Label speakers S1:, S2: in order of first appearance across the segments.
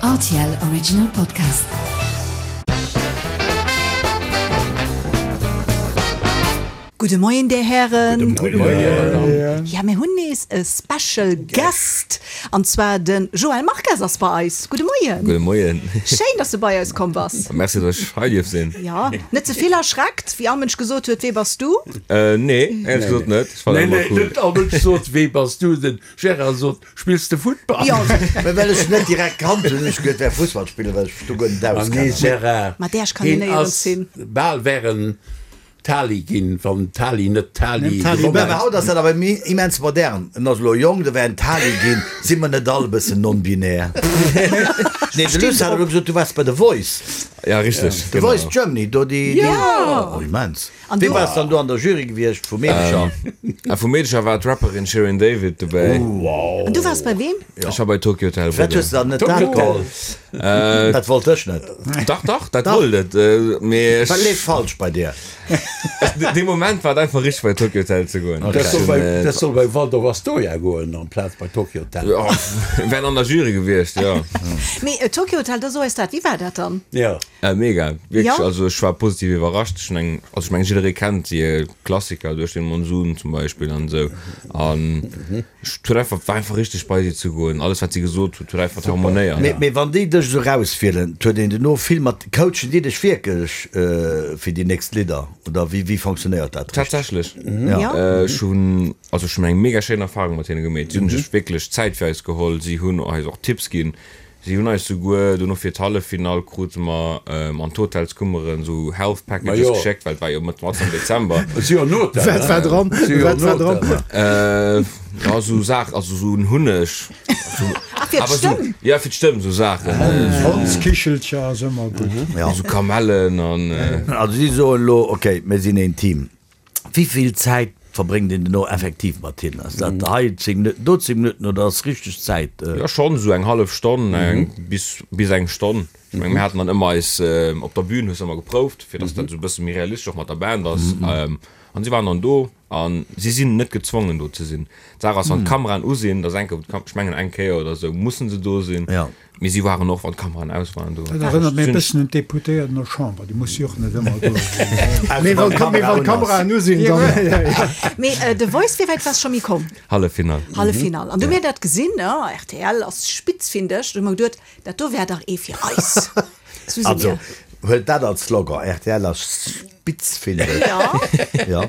S1: Rtl Original Podcast.
S2: Gudde Moien, Dir Hären. Gudde Moien. Ja, mir hunn nees e Special Guest, an zwar de Joël Marques ass bei eis. Gudde Moien.
S3: Gudde Moien.
S2: Schéin, dass du bei eis komm bass.
S3: Merci, dass ech hei dierf sinn.
S2: Jo, net ze vill erschreckt, wéi all Mënsch gesot huet, Wee bass du?
S3: Nee, éierlech gesot net. Ech
S4: fannen dat ëmmer cool. Net all Mënsch sot, Wee bass du? Den Gérard sot, Spills de Futtball?
S5: Jo. Mä well ech net direkt kannt hunn, hunn ech geduet, wär Fussballspiller, well ech mech do guer net
S4: Ah nee,
S5: auskennen.
S4: Gérard,
S2: Mat där ech kann een
S4: heen
S2: néierens
S4: ass
S2: hin.
S4: bal wär en Tali ginn, wann Tali net Tali gewonnen
S5: Mä haut ass dat awer immens modern. En ass elo jonk, da wär en Tali ginn. Si mer net all e bëssen non-binär? Nee, de Luss hat elo gesot, du waars bei The Voice.
S3: Ja, richteg,
S5: The
S3: genau.
S5: Voice Germany, do déi, déi, oh, immens.
S2: An
S5: Wee
S2: du?
S5: war dann do an der Jury gewiescht vu Meedecher?
S3: A vu Meedecher war d'Rapperin Shirin David dobäi.
S2: An du waars bei weem?
S3: Ech war bei Tokio Hotel.
S5: Firwat hues de dann net dat geholl? Dat wollt ech net.
S3: Dach, dach, dat wollt et. Mee ech.
S5: Wat leeft falsch bei dir?
S3: Dee Moment war et einfach richteg bei Tokio Hotel ze goen.
S4: Dat soll bei, dat soll bei Waldorf Astoria goen amplaz bei Tokio Hotel.
S3: Wären an der Jury gewiescht, jo.
S2: Mee Tokio Hotel, da so eis dat, wéi war dat dann?
S4: Jo.
S3: Mega, wierklech,
S2: Jo.
S3: also ech war positiv iwwerrascht. Ech hunn eng, also ech mengen jidderee kennt déi Klassiker, Durch den Monsun zum Beispill an esou an ech huet einfach, war einfach richteg bei si ze goen. Alles wat si gesot huet, huet einfach harmonéiert.
S5: Mee, mee wann déi dech esou rauswielen, huet een duerno vill mat, coachen déi dech wierklech fir déi nächst Lidder oder wéi, wéi fonctionnéiert dat richteg?
S3: Tatsächlech,
S2: Ja.
S3: ech hunn, also ech hunn eng mega schéin Erfahrung mat hinne gemeet. Si hunn sech wierklech Zäit fir eis geholl, si hunn eis och Tipps ginn. Si hunn eis souguer dono fir d'Halleffinall krute mer an d'Hotelskummeren esou Health Packages geschéckt, well et war jo mat am Dezember.
S6: Wat war dran? Wat war dran?
S3: Ja esou Saach, also esou en Hunneg.
S2: Ah, fir d'Stëmm?
S3: Ja, fir d'Stëmm, esou Saachen.
S6: Honskichelcher ass ëmmer gutt.
S3: Esou Kamellen an.
S5: Also si soen elo, ok, mir sinn een Team. Wéi vill Zäit verbréngt een dono effektiv mat hinnen? Ass dat hei 10 Minutten, do 10 Minutten oder ass richteg Zäit?
S3: Jo, schonn esou eng hallef Stonn, bis, bis eng Stonn. Ech menge mir haten dann ëmmer eis op der Bühn, hues ëmmer geprouft, fir datt dat esou e bësse méi realistesch och mat der Band ass. An si waren dann do a si sinn net gezwongen do ze sinn. D'Saach ass, wann d'Kameraen u sinn, da ass enke, ech mengen eng Kéier oder esou musse se do sinn. Mee si waren och, wann d'Kameraen aus waren, do.
S6: Dat erënnert mech e bëssen un d'Deputéierten der Chamber, déi musse jo och net ëmmer do sinn. Mee wann d'Kameraen u sinn, dann.
S2: Mee The Voice, wéi wäit waars scho méi komm?
S3: Halleffinall.
S2: Halleffinall. An du mir dat gesinn, rtl ass spitz, finde ech, du hu mer geduet, dat do wär dach ee fir eis. Sou si mir.
S5: Also, huelt dat als Slogan, rtl ass spitz, finde ech.
S2: Jo.
S5: Jo.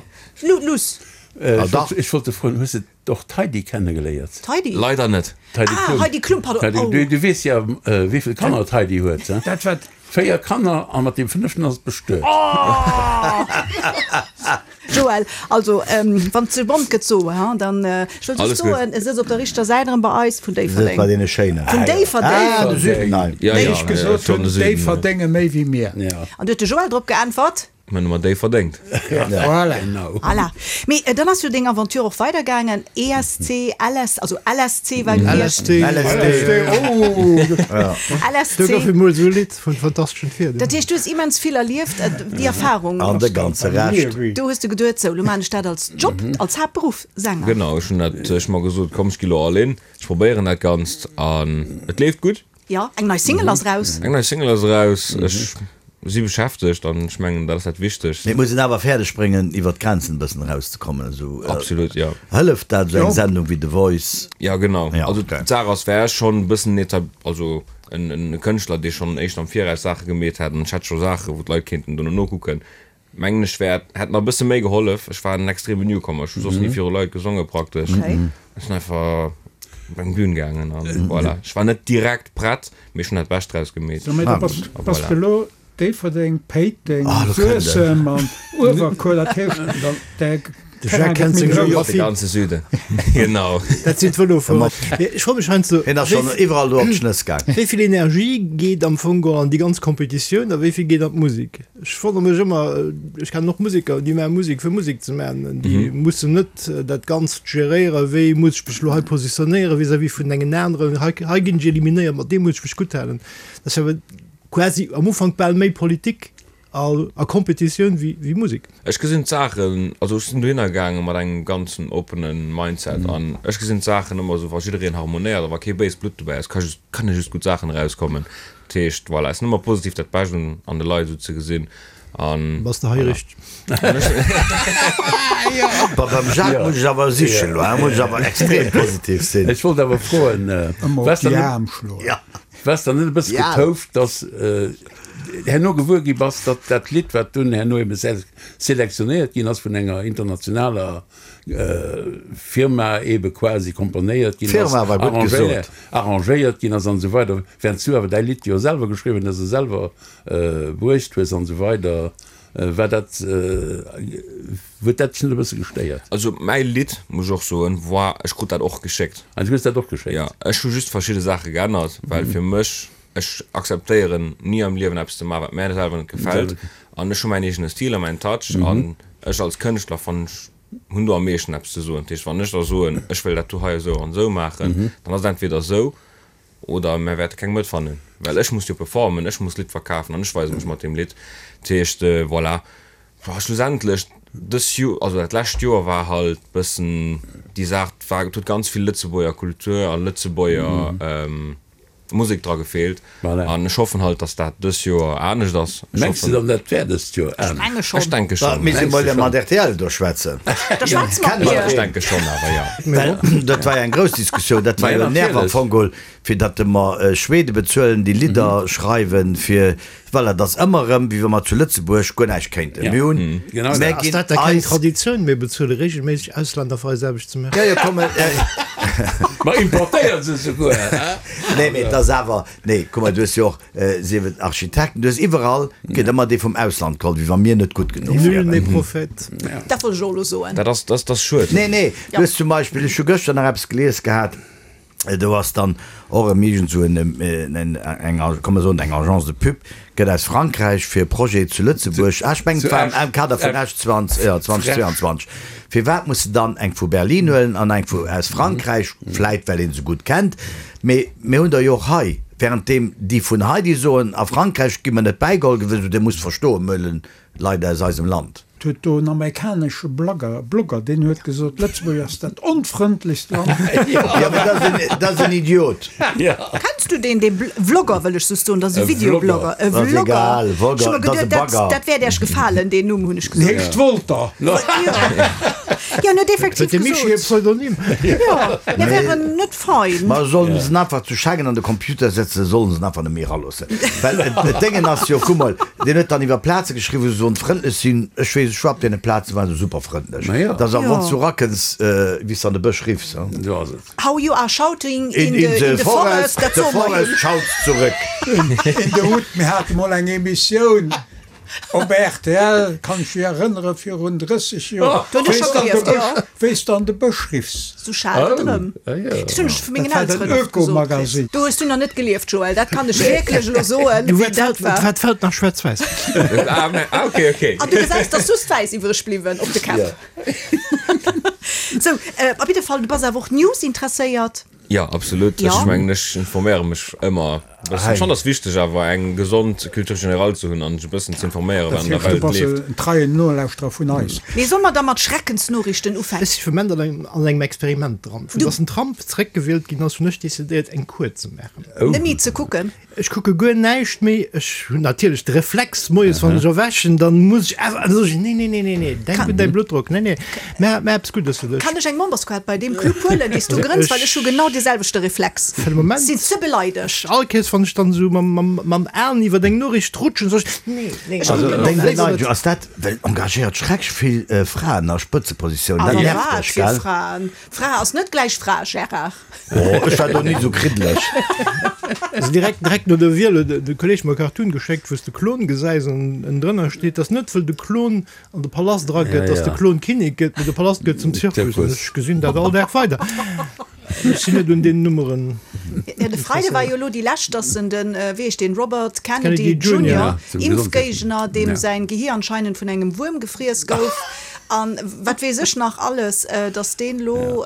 S2: Luss.
S4: Ech wollt de froen, hues de Och d'Heidi kennegeléiert.
S2: D'Heidi?
S3: Leider net.
S4: D'Heidi
S2: Ah,
S4: Klum.
S2: Heidi Klum, pardon.
S4: D'Heidi,
S2: Oh.
S4: du, du weess ja, wéi vill Kanner d'Heidi huet, he?
S6: Dat wat.
S4: 4 Kanner a mat deem fënneften ass et bestuet.
S2: Oh! Joël, also, wann et ze bont gëtt, so, he, dann, ech wëll just
S3: Alles gutt.
S2: soen, e sëtzt op der richter Säit erëm bei eis, vun
S5: Sëtzt
S2: Déifferdeng.
S5: bei deene Schéinen.
S2: Vun Déifferdeng.
S5: Ah, de Süden, nein.
S3: Ja,
S6: Wéi
S3: ja,
S6: ech gesot
S3: schon
S6: hunn,
S3: de Süden, ja.
S6: Déifferdenge méi wéi mir.
S4: Ja.
S2: An du huet de Joël drop geäntwert.
S3: Mir hunn ëmmer déi verdéngt.
S6: Voilà.
S4: Genau.
S2: Voilà. Mee dann ass jo deng Aventure och weidergaangen, ESC, LS, also LSC war gewiescht.
S6: LSD.
S5: LSD.
S6: Oh!
S2: LSC.
S6: Do gouf emol esou e Lidd vun Fantasteschen Tier.
S2: Dat heescht, du hues immens vill erlieft, déi Erfahrung.
S5: An de ganze Rescht.
S2: Do hues de geduet, sou, lo maan ech dat als Job, als Haaptberuff, Sänger.
S3: Genau, ech hunn dat, ech hu mer gesot, komm, ech gi lo all in, ech probéieren dat Ganzt an et leeft gutt.
S2: Jo, eng nei Single ass eraus.
S3: Eng nei Single ass eraus. Ech si beschäftegt an ech mengen, dat ass dat Wichtegst.
S5: Mee et muss een awer fäerdeg bréngen, iwwer d'Grenzen e bëssen erauszekommen. Esou
S3: Absolut, jo.
S5: Hëlleft dat esou eng Sendung wéi The Voice?
S3: Jo, genau.
S5: Ja,
S3: Also
S5: okay.
S3: d'Saach ass, wär ech schonn e bëssen etab-, also en Kënschtler, dee schonn éischter am Viraus Saache gemeet hätt an ech hätt scho Saache wou d'Leit kéinten dono nokucken, Mengen ech wär, hätt mer e bësse méi gehollef. Ech war en extreme Newcomer, ech hu soss ni viru Leit gesonge praktesch. Ech sinn einfach op eng Bühn gaangen an voilà. Ech war net direkt prett, mee ech hunn dat Bescht draus gemeet.
S6: So, mee du bass,
S3: A
S6: bass
S3: voilà.
S6: de elo Déifferdeng, Péiteng,
S5: Ah, lo kënnt en.
S6: Suessem an Uewerkuer, dat heescht, däi
S7: De Jacques
S6: Terrain gëtt
S7: kennt
S6: méi
S7: seng
S6: grouss.
S3: De
S7: Geographie.
S3: ganze Süden, genau.
S7: Dat sinn d'Vëlofuerer. Mee ech froe mech heiansdo,
S5: Hien ass schonn iwwerall do op d'Schnëss gaang.
S7: Wéi vill Energie geet am Fong geholl an déi ganz Kompetitioun a wéi vill geet an d'Musek? Ech wonnere mech ëmmer, ech kennen och Museker, déi maache Musek fir Musek ze maachen. Déi mussen net dat Ganzt geréieren, wéi muss ech mech elo hei positionéieren vis-à-vis vun engen aneren, hei hei ginn ech eliminéiert, mat deem muss ech mech gutt halen. Dat ass jo awer quasi am Ufank bal méi Politik. A Kompetitioun wéi Musek.
S3: Ech gesinn d'Saachen, also ech sinn dohinner gaange mat engem ganzen oppenen Mindset an ech gesinn d'Saachen ëmmer esou, wa jiddereen harmonéiert a wa kee béist Blutt dobäi ass, ka just, kënne just gutt Saachen erauskommen. Dat heescht, voilà, et ass nëmmer positiv dat Bescht un an de Leit esou ze gesinn an
S7: Bass de hei
S3: voilà.
S7: richteg?
S5: Bah, beim Jacques muss ech awer sichen elo, muss ech awer extrem positiv sinn.
S4: Ech wollt awer froen,
S6: Ëmmer op
S4: waars
S6: déi
S4: der net,
S6: Aarm schloen.
S4: waars der net e bësse getouft, dass herno gewuer gi bass, datt dat Lidd, wat dunn herno ebe selektionéiert ginn ass, vun enger internationaler Firma ebe quasi komponéiert ginn ass,
S5: Firma war gutt gesot.
S4: arrangéiert ginn ass an esou weider, während s du awer däi Lidd jo selwer geschriwwen hues a selwer bruecht hues an esou weider. War dat, huet dat dech net e bësse gestéiert?
S3: Also mäi Lidd, muss ech och soen, war, ech krut dat och geschéckt.
S4: Ah, du hues dat och geschéckt?
S3: Jo, ech hu just verschidde Saache geännert, well fir mech, Ech akzeptéieren ni am Liewen eppes ze maachen, wat mär selwer net gefält. An ech hu mäin eegene Stil a mäin Touch. An ech als Kënschtler fannen, ech hunn do am meeschten eppes ze soen. Dat heescht, wann ech da soen, ech wëll dat do hei esou an esou maachen, dann ass et entweder esou oder mär wäerte keng Mëtt fannen. Well ech muss jo performen, ech muss d'Lidd verkafen an ech weise mech mat deem Lidd. Dat heescht, voilà. Schlussendlech, dës Joer, also dat lescht Joer war halt bëssen déi Saach, et war, et huet ganz vill Lëtzebuerger Kultur a Lëtzebuerger Musek dra gefeelt an ech hoffen halt dass dat dës Joer anescht ass.
S4: Ech Mengs de dann dat wär dëst Joer anescht?
S3: Ech denke schonn.
S5: Mir si mol mat rtl do schwätzen.
S2: Da schwätze mer mat
S3: Ech denke schonn awer jo.
S5: Well dat war jo eng grouss Diskussioun, dat war jo en Nerv am Fong geholl, fir datt mer Schwede bezuelen déi Lidder schreiwen fir Voilà, et ass ëmmer erëm, wéi wa mer zu Lëtzebuerg guer näischt kéinten. Mir hunn,
S4: Genau
S5: mir
S4: dat.
S7: Ass
S5: ginn
S7: dat da keng
S5: eis.
S7: Traditioun? Mir bezuele regelméisseg Auslänner fir eis Aarbecht ze maachen.
S5: Jo, jo, komm,
S4: Mer importéiere se souguer, hä?
S5: Nee, mee et ass awer, nee, kuck mol, du hues jo och, sief et Architekten, du hues iwwerall, gëtt ëmmer dee vum Ausland geholl, wéi wa mir net gutt genuch
S7: Nul
S5: wieren.
S7: n'est prophète.
S2: Dat wollt ech och elo soen.
S3: Dat ass, dat ass schued.
S5: Nee, nee, du hues zum Beispill, ech hu gëschter nach eppes gelies gehat, Do ass dann och erëm iergend esou en, eng, komm mer soen, eng Agence de pub gëtt aus Frankräich fir e Projet zu Lëtzebuerg, ah ech mengen et war am Kader vun Esch 2022, firwat muss se dann eng vu Berlin huelen an eng vu aus Frankräich, vläit well ee se gutt kennt, mee mir hunn der jo och hei, währenddeem déi vun hei déi soen, a Frankräich gi mer net bäigeholl, gewëss, Dir musst verstoen, mir huelen Leit aus eisem Land.
S6: Et huet do en amerikanesche Blogger, Blogger, deen huet gesot, Lëtzebuerg ass dat onfrëndlechst Land.
S5: Jo, mee dat ass en, dat ass en Idiot.
S2: Kenns du deen, dee Vlogger wëll ech soss soen, dat ass e Videoblogger, e
S5: Dat ass
S2: Vlogger.
S5: egal,
S2: Ech hu
S5: Vlogger,
S2: mer
S5: dat ass e
S2: geduet, dat,
S5: Bagger.
S2: dat wäert Iech gefalen, deen Numm, hunn ech
S6: Deen
S2: gesot.
S6: heescht Wolter.
S2: Jo, jo, en huet effektiv
S7: Huet de Mischii e
S2: gesot.
S7: Pseudonym?
S2: Jo, mir wären net fein.
S5: Ma sollen se en einfach zu Schengen an de Computer setzen, sollen se en einfach net méi eraloossen. Well et Déngen ass jo, kuck mol, deen huet dann iwwer Plaze geschriwwen, wou se sollen frëndlech sinn. Ech weess, ech war op deene Plazen, waren se super frëndlech. Dat ass, wann s du erakënns, wéi s de an de Bësch riffs.
S4: Esou ass et.
S2: How you are shouting in the forest, dat
S5: the
S2: soe mer
S5: forest
S2: him.
S5: shouts zurück.
S6: In the Hood, mir hate mol eng Emissioun Op rtl, kann ech mech erënneren, virun 30 Joer,
S2: Do hunn ech scho gelieft, jo.
S6: wéi s de an de Bësch riffs.
S2: Sou schal et erëm. Dat hunn ech vu mengen
S6: Dat war den
S2: Elteren oft gesot kritt.
S6: Öko-Magazin.
S2: Do hues du nach net gelieft, Joël, dat kann ech wierklech elo soen, wéi dat war.
S7: Et war d'Feld nach schwaarz-wäiss.
S3: Ah, ok, ok.
S2: An du gesäis, 't ass just wäiss iwwreg bliwwen op de Käpp. Sou, op jidde Fall, du bass awer och News-interesséiert.
S3: Jo, absolut.
S2: Jo.
S3: Ech mengen, ech informéiere mech ëmmer e bëssen. Ech fannen, et ass wichteg awer eng gesond Culture générale ze hunn an sech e bëssen ze informéieren, wat
S6: Dat
S3: an der
S6: heescht, du
S3: Welt
S6: bass
S3: leeft.
S6: en treien Nolauschterer vun eis.
S2: Mee solle mer da mat Schreckensnoriichten ufänken?
S7: Ech si fir Moment an engem an engem Experiment dran. Vu dass den Trump zeréckgewielt ginn ass, hunn ech decidéiert eng Kur ze maachen.
S2: Net méi ze kucken?
S7: Ech kucke guer näischt méi. Ech hunn natierlech de Reflex, moies wann ech erwächen, dann muss ech awer, dann soe ech, nee, nee, nee, nee, nee, denk un däi Bluttdrock, nee, nee, mä mä eppes Guddes fir dech.
S2: Kann ech eng Memberskaart bei deem Club huelen, dee s du grënns, well ech hu genau dee selwechte Reflex.
S7: Fir de Moment.
S2: Sinn ze beleidegt.
S7: All Kéiers wann ech dann esou mam, mam, mam Aen iwwer eng Noriicht rutschen, soe ech, nee, nee,
S2: Ech kucken och
S5: Deng
S2: net.
S5: Beneidegung, ass dat, well engagéiert schrecklech vill Fraen a Spëtzepositiounen,
S2: A
S5: dat nervt
S2: wat
S5: dech,
S2: fir
S5: gell?
S2: Fraen? Fra ass net gläich Fra, Gérard.
S5: Oh, ech war do ni sou kriddeleg.
S7: Also direkt, direkt no der Wiel huet de Kolleg mer e Cartoon geschéckt, wou s de Klon gesäis an ënnendrënner steet, dass net wëll de Klon an de Palast era gëtt, dass de Klon Kinnek gëtt, mee de Palast gëtt zum Zirkus. An ech gesinn dat all Dag weider. Ech sinn net un deenen Nummeren
S2: Ja, de Freide war jo elo déi lescht, dass en den, wéi heescht deen, Robert Kennedy
S7: Kennedy Junior.
S2: Junior, Impfgéigner, deem säin Gehir anscheinend vun engem Wuerm gefriess gouf an wat weess ech nach alles, dass deen elo.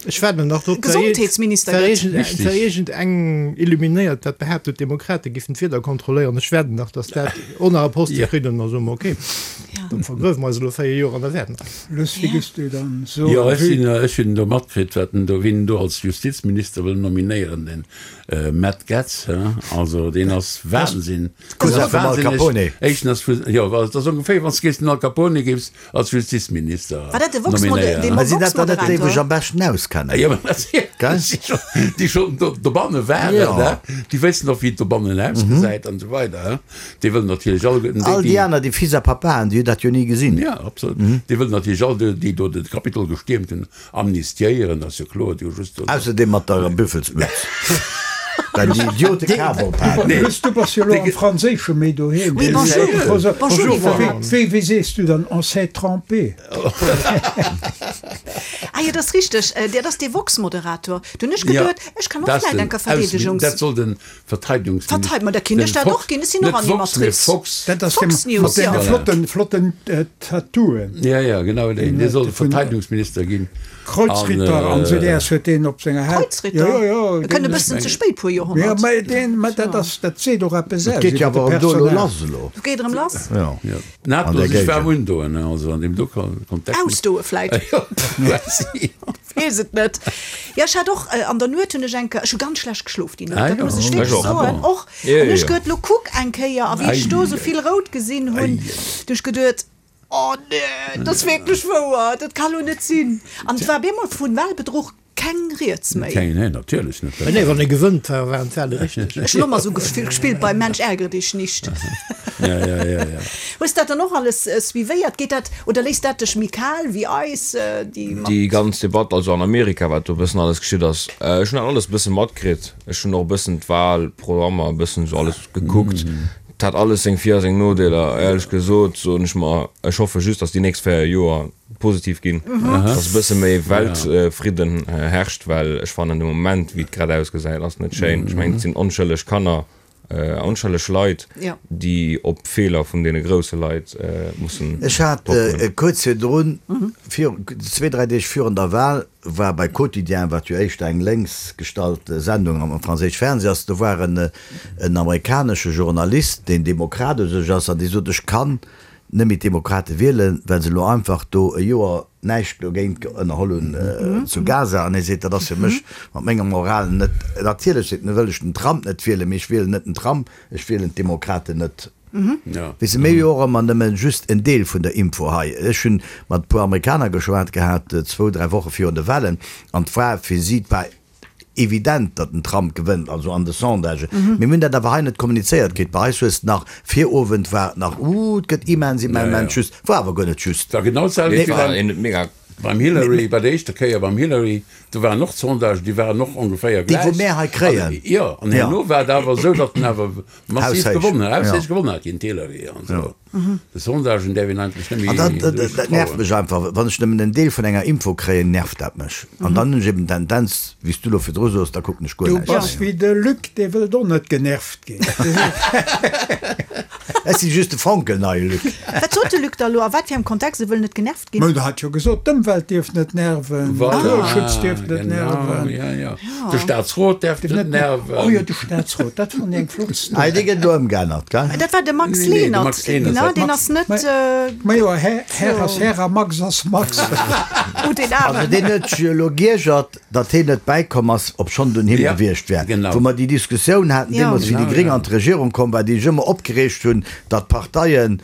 S7: Ech waarden nach drop,
S2: Gesondheetsminister gëtt.
S7: Et war iergend eng Illuminéiert, dat behaapt huet, d'Demokrate giffen d'Wieder kontrolléieren. Ech waarden nach, datt dat och nach e Poste kritt an da soe mer, ok, dann vergruewe mer eis elo 4 Joer an da waarde mer.
S6: Luss, wéi gëss du dann soen?
S4: Jo, ech sinn, ech hunn do matkritt, wat en do, wien en do als Justizminister wëll nominéieren, den Matt Gaetz, he, also deen ass Wahnsinn.
S5: Cousin vum Al Capone.
S4: Éischten ass vu, jo, dat ass ongeféier, wann s de géifs den Al Capone géifs Als Justizminister
S2: War dat de Vox nominéieren. Dee
S5: Mä sinn dat dann net déi, wou sech am beschten auskennen?
S4: Jo, mä dat sinn
S5: Gell?
S4: déi schonn do, dobanne waren,
S5: Ja.
S4: ne? Déi wëssen och, wéi et dobannen ausgesäit an esou weider, he? Déi wëllen natierlech alleguerten déi,
S5: All déi
S4: déi.
S5: aner, déi Fils à Papaen, déi hunn dat jo ni gesinn.
S4: Ja, absolut. Déi wëllen natierlech all déi, déi do de Kapitol gestiermt hunn, Amnistiéieren ass jo kloer, déi hu just do.
S5: Ausser dee mat der Büffelsmütz, well déi Idiote Kaf op haten.
S6: Luss, du bass jo elo am Franséische méi doheem.
S2: Oui, bonjour. Bonjour, Yvan.
S6: Wéi, wéi sees du dann, on s'est trompé?
S2: Ah jo, dat ass richteg, dat ass dee Vox-Moderator. Du hunn ech geduet, ech kann och vläicht eng Verdeedegungs.
S4: Dat soll den Verteidegungsminister.
S2: Verteid, ma da kinnt ech dat och ginn, ech sinn och Animatrice.
S4: Fox.
S6: Dat ass dee
S2: Fox News,
S6: mat deene
S2: jo.
S6: flotten, flotten Tattooen.
S4: Ja, ja, genau deen. Dee soll Verteidegungsminister ginn.
S6: Kreuzritter an esou däers huet deen op senger Haut.
S2: Kreuzritter?
S6: Jo, jo, jo.
S2: E kënnt e bëssen ze spéit, puer
S6: Joerhonnert. Jo, mä deen, mä dat ass, dat seet och eppes
S5: Et
S6: aus
S5: geet jo
S6: iwwer de
S5: awer erëm do elo
S6: Personal.
S5: lass elo.
S2: Do geet erëm lass.
S5: Jo.
S4: Ja.
S5: An
S4: Nato
S5: der
S4: sech waarm
S5: Géigend.
S4: undoen, also an deem do Kontext.
S2: Ausdoe vläit.
S4: Jo, quasi.
S2: Weess et net. Jo, ech hat och an der Nuet hunn ech eng Kéier, ech hu ganz schlecht geschlof déi Nuet,
S4: Ah
S2: dat
S4: jo,
S2: muss ech
S4: ech
S2: wierklech
S3: och.
S2: soen, och.
S3: Jo,
S2: An
S3: jo,
S2: ech
S3: jo.
S2: geduet, lo kuck eng Kéier, a wéi ech do esou vill rout gesinn hunn,
S4: Ei.
S2: du ech geduet, oh nee, dat ass wierklech wouer, dat ka lo net sinn. An et war op eemol vun Wahlbedruch keng Rieds méi.
S4: Keng, nee, natierlech net.
S7: Nee, wann ee gewënnt, waren d'Wahle richteg.
S2: Ech hunn och mol esou gespillt bei Mensch ärgere dich nicht.
S4: Ja, ja, ja, ja.
S2: Hues dat dann och alles suivéiert? Geet dat, oder léisst dat dech méi kal wéi eis, déi mat.
S3: Déi ganz Debatt, also an Amerika, wat do e bëssen alles geschitt ass, ech hunn dat alles e bësse matkritt. Ech hunn och e bëssen d'Wahlprogrammer e bëssen esou alles gekuckt. Et hat alles seng Vir a seng Nodeeler. Éierlech gesot soen ech mer, ech hoffe just, datt déi nächst 4 Joer positiv ginn, datt e bësse méi Weltfridden herrscht, well ech fannen de Moment, wéi et grad ausgesäit, ass net schéin. Ech mengen, et sinn onschëlleg Kanner, Onschëlleg Leit, déi op Feeler vun deene grousse Leit mussen
S5: Ech hat
S3: ophuelen.
S5: kuerz virdrun, zwee, dräi Deeg virun der Wahl, war bei Quotidien, wat jo éischter eng lénks gestallt Sendung am franséisch Fernseh ass, do war en amerikanesche Journalist, deen Demokrat u sech ass, an dee sot, ech kann net méi d'Demokrate wielen, well se elo einfach do e Joer näischt dogéint ënnerholl hunn zu Gaza. An hie seet, dat ass fir mech mat menger Moral net, natierlech seet en, wëll ech den Trump net wielen, mee ech wielen net den Trump, ech wielen d'Demokraten net. Weess de, mir hu jo och ëmmer nëmme just en Deel vun der Info hei. Ech hunn mat e puer Amerikaner geschwat gehat, zwou, dräi Woche virun de Wahlen, an 't war fir si, 't war evident, datt den Trump gewënnt, also an de Sondagen. Mee mir hunn dat awer hei net kommunizéiert kritt. Bei eis hues de nach, Virowend war et nach, uh, et gëtt immens, immens just, war awer guer net just.
S4: War genau d'selwecht
S3: Nee,
S4: wéi
S3: war
S4: beim,
S3: een mega.
S4: beim Hillary, bei der éischter Kéier beim Hillary, do waren och d'Sondagen, déi waren och ongeféier
S5: Déi, wou
S4: gläich.
S5: mär hei kréien.
S4: An, jo, an
S5: Ja.
S4: herno war et awer esou, datt en awer massiv
S5: Haushéich.
S4: gewonnen hat,
S5: Ja.
S4: haushéich gewonnen hat géint d'Hillary an esou. De Sondagen däerf een eigentlech net méi
S5: An dat, dat,
S4: esou
S5: dat nervt
S4: trauen.
S5: mech einfach. Wann ech nëmmen en Deel vun enger Info kréien, nervt dat mech. An dann hunn ech eben d'Tendenz, wéi s du elo virdru soos, da kucken ech guer
S6: Du
S5: näischt
S6: bass
S5: méi.
S6: wéi de Luc, dee wëllt och net genervt ginn.
S5: Ech si just de fonkelneie Luc.
S2: Wat sot de Luc da elo? A wat fir engem Kontext? E wëll net genervt ginn.
S6: Mä der hat jo gesot, d'Ëmwelt dierf net nerven,
S4: Voilà,
S6: Naturschutz dierf net
S4: genau,
S6: nerven.
S4: ja, ja. De Staatsrot däerf net nerven.
S6: Oh jo, de Staatsrot, dat fand ech eng flott Story.
S5: Ah, dee gëtt elo ëmgeännert, gell?
S2: Dat war de Max
S4: Nee, nee, de
S2: Lenert,
S4: Max Lenert
S2: ne?
S4: hat
S2: Deen
S4: Max.
S2: ass net.
S6: Ma jo, Här, Här ass Här a Max ass Max.
S2: Oh, deen
S5: Also
S2: Aarmen.
S5: deen huet sech jo elo giergert, datt heen net bäikomm ass, obschonn et un him
S4: Ja,
S5: gewiescht wär.
S4: genau.
S5: Wou mer déi Diskussioun haten
S2: Ja.
S5: deemools, wéi déi
S4: Genau,
S5: Gréng
S4: ja.
S5: an d'Regierung komm war, déi sech ëmmer opgereegt hunn, datt d'Parteien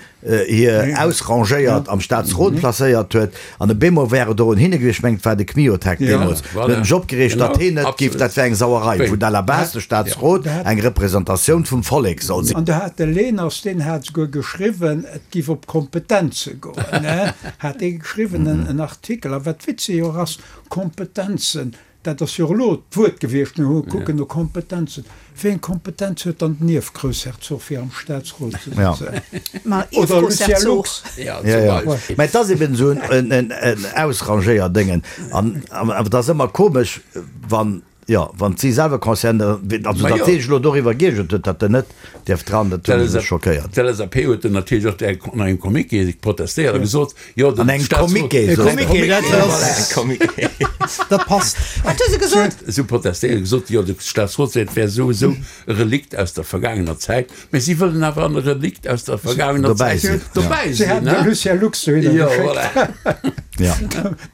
S5: hir ausrangéiert am Staatsrot placéiert huet, an op eemol wär et och un hinne gewiescht, ech mengen et war de Kmiotek deemools, huet en sech opgereegt, datt heen net géif, dat wär eng Sauerei, wou à la base de Staatsrot eng Representatioun vum Vollek soll sinn.
S6: An do hat de Lehners, deen hat souguer geschriwwen, et giff op Kompetenze goen, hat dee geschriwwen en Artikel. A wat witzeg och ass, Kompetenzen, Dat ass jo och elo d'Wuert gewiescht, mir hu kucken no Kompetenzen. Wéi eng Kompetenz huet dann den Ierfgroussherzog fir am Staatsrot ze sëtzen?
S2: Ma
S6: Oder Lucien
S2: Ierfgroussherzog.
S6: Lux?
S4: Ja, zum
S5: Ja, ja.
S4: Beispill.
S5: Mä et ass eben esou en Ausrangéierdéngen. An et ass ëmmer komesch, wann. Jo, wann si selwer concernéiert, also datt dee sech elo doriwwer giergert huet, datt en net dierf dran, dat huet mech schockéiert.
S4: D'LSAP huet dunn natierlech och an engem Communiqué protestéiert a gesot, jo,
S5: den Staatsrot. An engem Communiqué,
S7: sot se. Dat passt.
S2: Wat hu se gesot?
S4: Si hu protestéiert a gesot, jo, de Staatsrot seet, et wär souwisou e Relikt aus der vergaangener Zäit. Mä si wëllen awer an e Relikt aus der vergaangener Zäit dobäi
S6: sinn. Si haten de Lucien Lux dohinner geschéckt.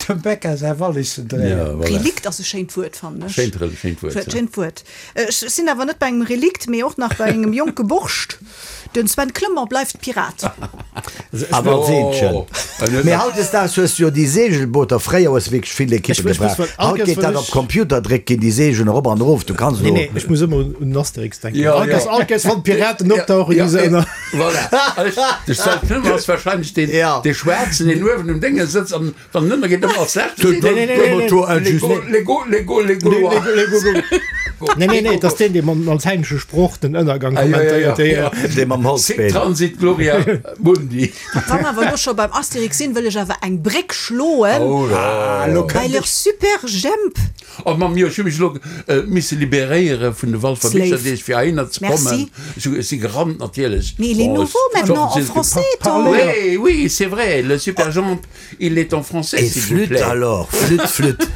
S6: Dem Becca säi Wallissendréier.
S2: Relikt ass e schéint Wuert, fannen ech.
S4: Schéint Wuert, ja.
S2: Schéint Wuert. Ech sinn awer net bei engem Relikt, mee och nach bei engem jonke Borscht. Den Sven Clement bleift Pirat.
S5: Awer als Eenzegen. Mee hautdesdaags hues du jo déi Seegelbooter, fréier hues de wierklech vill Ekippe gebraucht, haut geet dat op Computer dréckt ginn déi Seegelen erop an erof, du kanns
S7: elo.
S5: Nee,
S7: nee, ech muss ëmmer un Asterix denken. All Kéiers, all Kéiers wann d'Piraten opdauchen, du se ënner.
S4: Voilà. De Sven Clement ass wahrscheinlech deen, dee Schwaarzen, deen uewen um Dénge sëtzt an Wann en ënnergeet, ëmmer als Leschte seet en, Lego, Lego, Lego, Lego.
S7: Nee, nee, nee, et ass deen, dee mam latainesche Sproch den Ënnergang kommentéiert.
S4: Ja, ja, ja.
S5: Dee mam Holzbeen.
S4: Sic transit gloria mundi.
S2: Wa mer awer elo scho beim Asterix sinn, wëll ech awer eng Bréck schloen bei leur super Jemp.
S4: Oh Mamm, jo, ech hu mech elo misse liberéiere vun de Walfer Bicherdeeg fir heihinner ze kommen. Ech hu, ech si gerannt natierlech.
S2: Mais il est nouveau maintenant en français, ton.
S4: Oui, oui, c'est vrai, le super Jemp, il est en français,
S5: Et
S4: s'il vous
S5: flûte
S4: plaît.
S5: alors, flûte, flûte.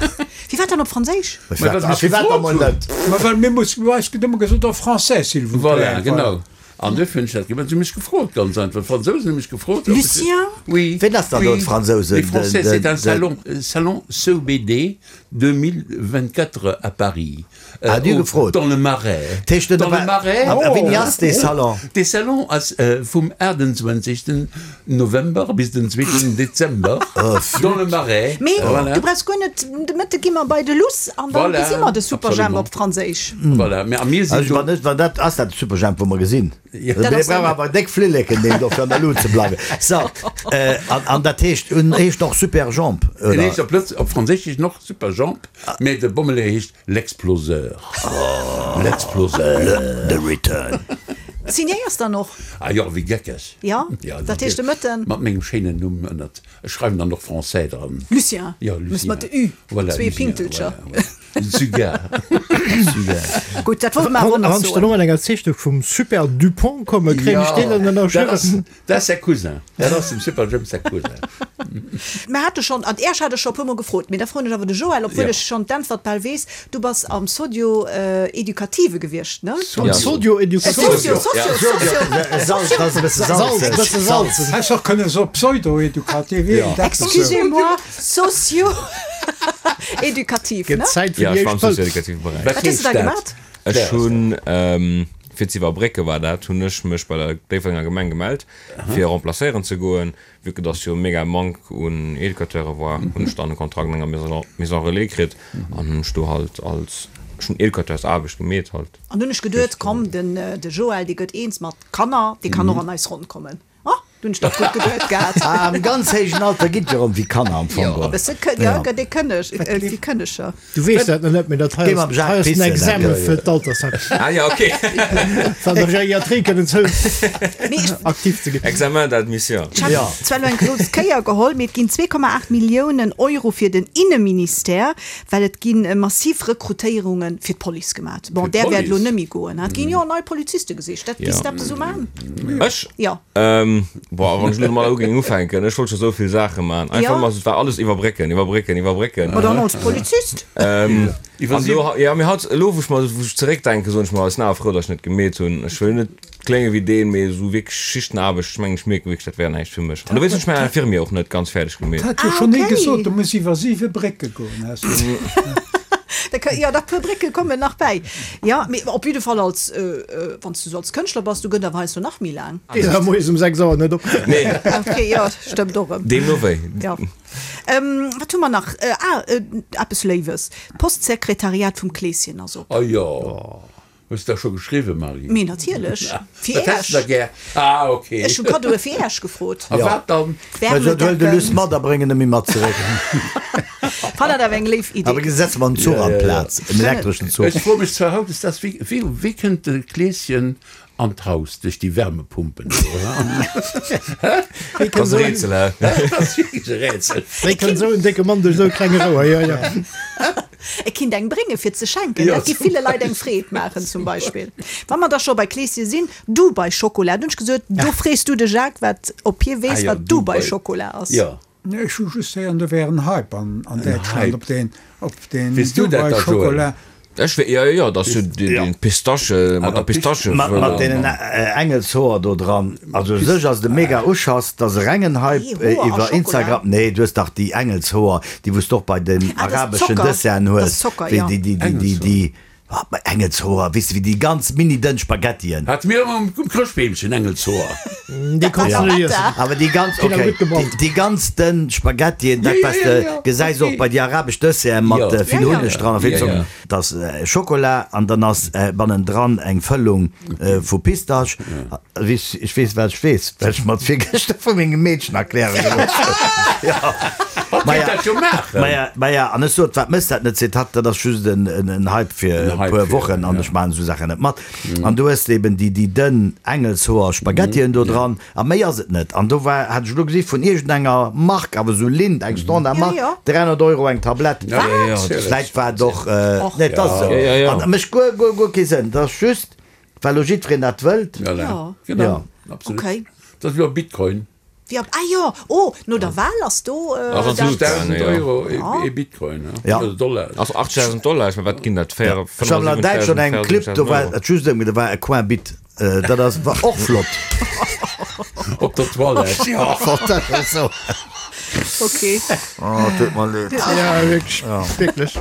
S2: Firwat dann op Franséisch?
S4: Ma well se mech gefrot hunn.
S6: Ma well mir mussen, du eis gëtt ëmmer gesot, en français, s'il vous plaît.
S4: Voilà, genau. An duerfir hunn ech dat gemaach. Si hu mech gefrot, ganz einfach. D'Fransousen hu mech gefrot, ob ech.
S2: Lucien?
S4: Oui.
S5: Ween ass dann do
S4: Oui,
S5: d'Fransousen?
S4: les Français, c'est un salon, salon CEBD 2024 à Paris.
S5: Ah, déi hu gefrot.
S4: Dans le Marais.
S5: D'heescht den
S4: Dans le Marais.
S5: A wéini ass dee Salon?
S4: Dee Salon ass vum 28. November bis den 2. Dezember. Dans le Marais.
S2: Mee
S4: Voilà.
S2: du brauchs guer net, de Mëtte gi mer bei de Luss an dann
S4: Voilà,
S2: gesi mer de Superjhemp
S4: absolument.
S2: op Franséisch.
S4: Voilà, mä a mir sinn
S5: Also
S4: do.
S5: wann net, wann dat ass dat de Superjhemp wou mer gesinn.
S4: Ja.
S2: Dat
S5: Dee
S2: ass
S5: brauch
S2: dann.
S5: awer déck Flilleken deen do fir an der Lut ze bleiwen. So, an, an dat heescht, en heescht och Superjhemp,
S4: En
S5: oder?
S4: heescht op Lëtz, op Franséisch heescht en och Superjhemp, mä de Bommeleeër heescht L'Exploseur. L'Exploseur.
S5: The Return.
S2: Signéiers dann och?
S4: Ah jo, wéi geckeg.
S2: Jo,
S4: Ja,
S2: dat heescht de Mëtten.
S4: Mat mengem schéinen Numm ënnert. Ech schreiwen dann och Français dran.
S2: Lucien.
S4: Jo, Lucien.
S2: Muss mat de Ü,
S4: Voilà,
S2: zwee
S4: Lucien,
S2: Pinktelcher.
S4: voilà, voilà. Sugar.
S5: Sugar.
S2: Gutt, dat wollt mer awer och nach
S7: Wann ech dann
S2: soen.
S7: och mat enger Zeechnung vum Super Dupont kommen, kréien ech deen dann
S4: dat ass,
S7: ënnerschriwwen?
S4: dat ass säi Cousin. Dat ass dem Superjhemp säi Cousin.
S2: Mer hate schonn, an Äerch hat ech scho e puermol gefrot, mee da froen ech awer de Joël, obwuel
S4: Jo.
S2: ech schonn d'Äntwert bal weess, Du bass am Sodio-Educative gewiescht, ne?
S7: Am Sodio-Educative?
S2: Socio, Socio, Socio.
S5: Salz, dat ass e bësse salzeg.
S7: Bësse salzeg.
S6: Häss och kënne soe Pseudo-Educative, iergendeppes esou.
S2: Excusez-moi, Socio-Educativ, ne?
S7: Gëtt Zäit fir
S3: Ja,
S7: déi
S3: ech war am
S7: éischt Pëll.
S3: sozio-edukative Beräich.
S2: Wat hues du da gemat?
S3: Ech hunn, fir ze iwwerbrécke war dat, hunn ech mech bei der Déifferdenger Gemeng gemellt, fir remplacéieren ze goen. Vu que dass jo mega Manque un Educateure war, hunn ech dann e Kontrakt an enger Maison Relais kritt an hunn ech do halt als, ech hunn Educateurs-Aarbecht gemeet halt.
S2: An hunn ech geduet, komm, den de Joël, dee gëtt eens mat Kanner, dee kann och an eis Ronn kommen. Oh, do hunn ech dach gutt geduet gehat.
S5: Ah, am ganz héijen Alter ginn d'jo erëm wéi Kanner am Fong
S2: Jo, e
S5: geholl.
S2: bësse, jo, gëtt ee kënneg, wéi Kënneger.
S7: Du weess dat nach net, mee dat hei ass, hei ass den Examen fir d'Altersheim.
S3: Ah ja, okay.
S7: Fir an der Geriatrie kënnen ze aktiv ze ginn.
S3: Examen d'admission.
S2: Ech hat zwar elo eng grouss Kéier geholl, mee et ginn 2,8 Milliounen Euro fir den Inneministère, well et gi massiv Rekrutéierunge fir d'Police gemat. Bon, där wäert elo net méi goen. Et ginn jo nei Poliziste gesicht. Dat giss de eppes esou man?
S3: Ech?
S2: Jo.
S3: Boah, wann ech elo domadder géing ufänken, ech wollt scho sou vill Saache man. Einfach
S2: Ja.
S3: mal, et war alles iwwerbrécken, iwwerbrécken, iwwerbrécken.
S2: Ma dann als Polizist.
S3: Ähm, an elo, ja, mee haut, elo wou ech mer, wou ech zeréckdenken, soen ech mer, ech sinn awer frou, datt ech net gemeet hunn. Ech wëll net klénge wéi deen, mee esou wierklech Schichtenarbecht, ech mengen, ech mierken wierklech, dat wär näischt fir mech. An dowéinst hunn ech mäin Infirmier och net ganz fäerdeg gemeet.
S6: Dat hat jo
S2: Ah,
S6: schonn ee
S2: okay.
S6: gesot, du muss iwwer siwe Brécke goen, has du.
S2: Da kö, jo, da puer Brécke kommen nach bäi. Jo, mee op jidde Fall als, wann s du sou als Kënschtler bass, du gëtt awer heiansdo nach méi laang.
S7: Geet awer moies um 6 Auer net op.
S3: Nee.
S2: Ok, jo, stëmmt och erëm.
S3: Deemno wéi.
S2: Jo. Wat hu mer nach? Ah, eppes Léiwes, D'Postsekretariat vum Kleeschen ass op.
S4: Oh jo. Hues de da scho geschriwwen, Marie?
S2: Mee natierlech, fir
S4: Wat häss de da
S2: Äerch.
S4: gär? Ah, ok.
S2: Ech hu Kaddoe fir Äerch gefrot.
S4: A wat dann?
S5: Also huel de Luss
S2: Wärmedecken.
S5: mat a bréng en emi mat zeréck.
S2: Fannen dat awer eng léif
S5: Awer
S2: Idee.
S5: setze mer en Zuch an d'Plaz, en elektreschen Zuch.
S4: Ech froe mech zwar haut, ist das, wéi, wéi, wéi kënnt de Kleeschen an d'Haus? Duerch déi Wärmepumpen do, oder?
S7: Wéi
S3: Dat ass
S7: kënnt
S3: e
S7: esou en,
S3: Rätsel, hä?
S4: Dat ass wierklech e Rätsel.
S7: wéi kënnt esou en décke Mann duerch esou e klenge Rouer? Jo, jo.
S2: E kinnt eng brénge fir ze schenken, dat giff ville Leit eng Freed maachen zum Beispill. Wa mer da scho bei Kleeschen sinn, Dubai Schokola, du hunn ech gesot, do frees du de Jacques wat, ob hie weess wat Dubai Schokola ass.
S6: Nee, ech hu just héieren, do wär en Hype an Däitschland op deen, op deen Dubai Schokola.
S3: Ech wéi, jo, jo, dat ass jo dee Pistache, mat der Pistache.
S5: Mat deenen Engelshoer do dran. Also u sech ass et e mega Uschass, et ass e rengen Hype iwwer Instagram. Nee, du hues dach déi Engelshoer, déi wou s de och bei den arabeschen Desserten hues, wéi déi, déi, déi, déi. Engelshoer, weess de wéi déi ganz mini dënn Spaghettien.
S4: Hate mir ëmmer um Chrëschtbeemchen, Engelshoer.
S7: Déi konns du net iessen.
S5: Awer déi ganz, ok, déi ganz dënn Spaghettien, dat wat s de gesäis och bei déi arabesch Desserten mat vill Hunneg dran a vill Zocker. Dat ass Schokola an dann ass bannendran eng Fëllung vu Pistasch. Ech weess wat ech weess, well ech mer et virgëschter vu mengem Meedchen erkläre gelooss hunn. Maja, maja, an ech sot, wat méchs dat net? Seet hatt, dat ass just en Hype fir e puer Wochen an ech maachen esou Saachen net mat. An du hues eben déi dënn Engelshoer Spaghettien do dran a méi ass et net. An do war, hat ech elo gesi vun iergendenger Mark, awer esou Lindt, eng Standardmark, 300 Euro eng Tablett. Wat? Vläicht war et och, nee, et ass esou. An dat mécht guer, guer, guer kee Sënn. Dat ass just. Well lo jiddwereen dat wëllt.
S4: Voilà, genau,
S5: Ja.
S4: absolut.
S2: Okay.
S4: Dat ass wéi op Bitcoin.
S2: Wéi op, ah jo, oh, no der Wahl ass do
S3: Ass an
S2: dat.
S3: d'Luucht gaangen,
S4: 1.000
S3: jo.
S4: Euro ee Bitcoin, he?
S5: Ja.
S4: Oder Dollar.
S3: Also 80.000 Dollar, ech mein, wat ginn dat?
S5: Ja. Ech hat an Däitschland
S3: 75.000,
S5: engem Clip, do war
S3: 74.000 Euro.
S5: et just ëm, do war e Coin Bit. Dat ass, war och flott.
S4: Op der Toilette.
S5: Ja, dat ass esou.
S2: Okay.
S5: Oh, tut mer leed.
S7: Ja, wierklech, wierklech.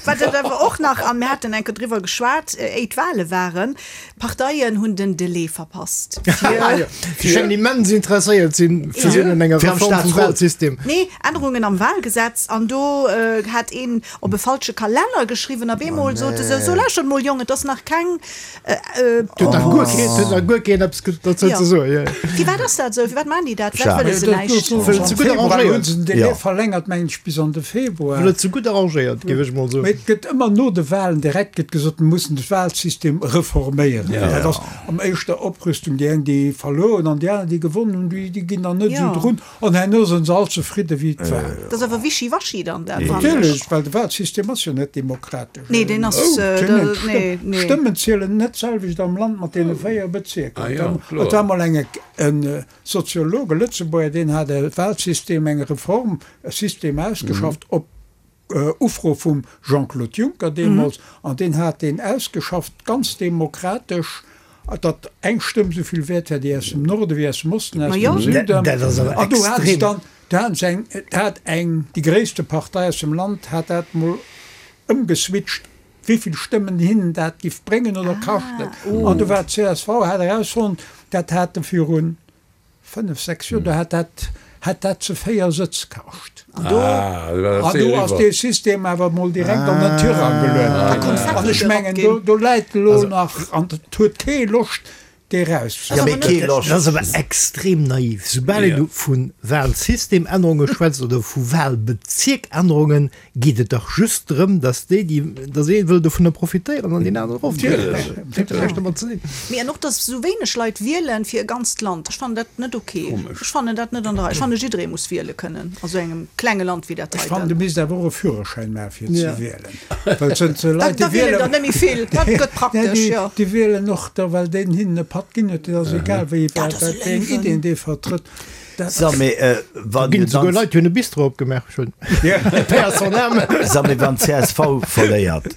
S2: Wat et awer och nach, a mir haten eng Kéier driwwer geschwat, éi d'Wahle waren, d'Parteien hunn den Delai verpasst fir.
S7: Déi schéngen immens interesséiert sinn fir sinn un enger
S5: Fir am
S7: Reform vum
S5: Staatsrot.
S7: Wahlsystem.
S2: Nee, Ännerungen am Wahlgesetz an do hat een op e falsche Kalenner geschriwwen. Op eemol sote se, So lauschtert mol Jongen, et ass nach keng.
S7: Huet nach guer keen, huet nach guer keen eppes dozou ze soen, jo.
S2: Firwat ass dat esou? Firwat maachen déi dat? Firwat wëlle se näischt?
S7: Wëll et ze gutt arrangéiert.
S6: Hunn se den Delai
S5: Jo.
S6: verlängert, mengen ech, bis an de Februar.
S7: Wëll et ze gutt arrangéiert, géif ech mol soen.
S6: Mee et gëtt ëmmer no de Wahlen direkt gëtt gesot, mir mussen de Wahlsystem reforméieren. Dat ass am éischter Oprüstung. Déi eng, déi verluer hunn an déi aner, déi gewonnen hunn, déi ginn dann net esou drun. An herno sinn se all zefridde wéi et war.
S2: Dat ass awer wischiwaschi dann dat, fannen ech.
S6: Natierlech, well de Wahlsystem ass jo net demokratesch.
S2: Nee, deen ass, nee, nee.
S6: D'Stëmmen zielen net d'selwecht am Land mat deene 4 Bezierker. Et war mol eng e Soziolog, e Lëtzebuerger, deen hat e Wahlsystem, eng Reform, e System ausgeschafft op Ufro vum Jean-Claude Juncker deemools, an deen hat deen ausgeschafft, ganz demokratesch, datt eng Stëmm esou vill wäert war, déi aus dem Norde wéi aus dem Osten, aus dem Süden. An do hate se dann, do haten se eng, do hat eng, déi gréisste Partei aus dem Land hat dat mol ëmgeswitcht, wéi vill Stëmmen hinnen dat giff bréngen oder kaschten. An do war d'CSV, hat erausfonnt, dat hate virun 5, 6 Joer, do hat dat, hat dat ze 4 Sëtz kascht.
S2: An do,
S6: An do ass dee System awer mol direkt an den Tirang geluet ginn. An ech mengen, do, do läit elo nach, an et huet kee Loscht, dee
S5: Ja, mee kee
S6: erauszehuelen.
S5: Loscht.
S7: Dat ass awer extrem naiv. Soubal een vu Wahlsystemännerunge schwätzt oder vu Wahlbezierkännerungen, geet et dach just drëm, dass déi, déi, dass ee wëll dovunner profitéieren an deen aneren erofdrécken. Dat huet jo näischt domat ze dinn.
S2: Mee an och, dass esou wéineg Leit wielen fir e ganzt Land, ech fannen dat net ok. Ech fannen dat net an der Rei. Ech fanne jidderee muss wiele kënnen a sou engem klenge Land wéi dat
S6: Ech fannen,
S2: heiten.
S6: du misst awer och e Führerschäin maache fir ze wielen, well et sënn ze Leit,
S2: Da
S6: déi
S2: wielen
S6: wielen,
S2: der net méi vill. Dat gëtt praktesch, jo.
S6: déi wielen och da well deen hinnen e Patt ginn huet. Et ass egal wéi,
S2: Dat ass e
S6: wat wéi eng
S2: Léiwen.
S6: Ideen dee vertrëtt.
S5: So, mee wann
S7: Ginn
S5: jo
S7: souguer
S5: dann.
S7: Leit, déi hunn e Bistro opgemaach schon. Paix à son âme.
S5: So, mee wann csv verléiert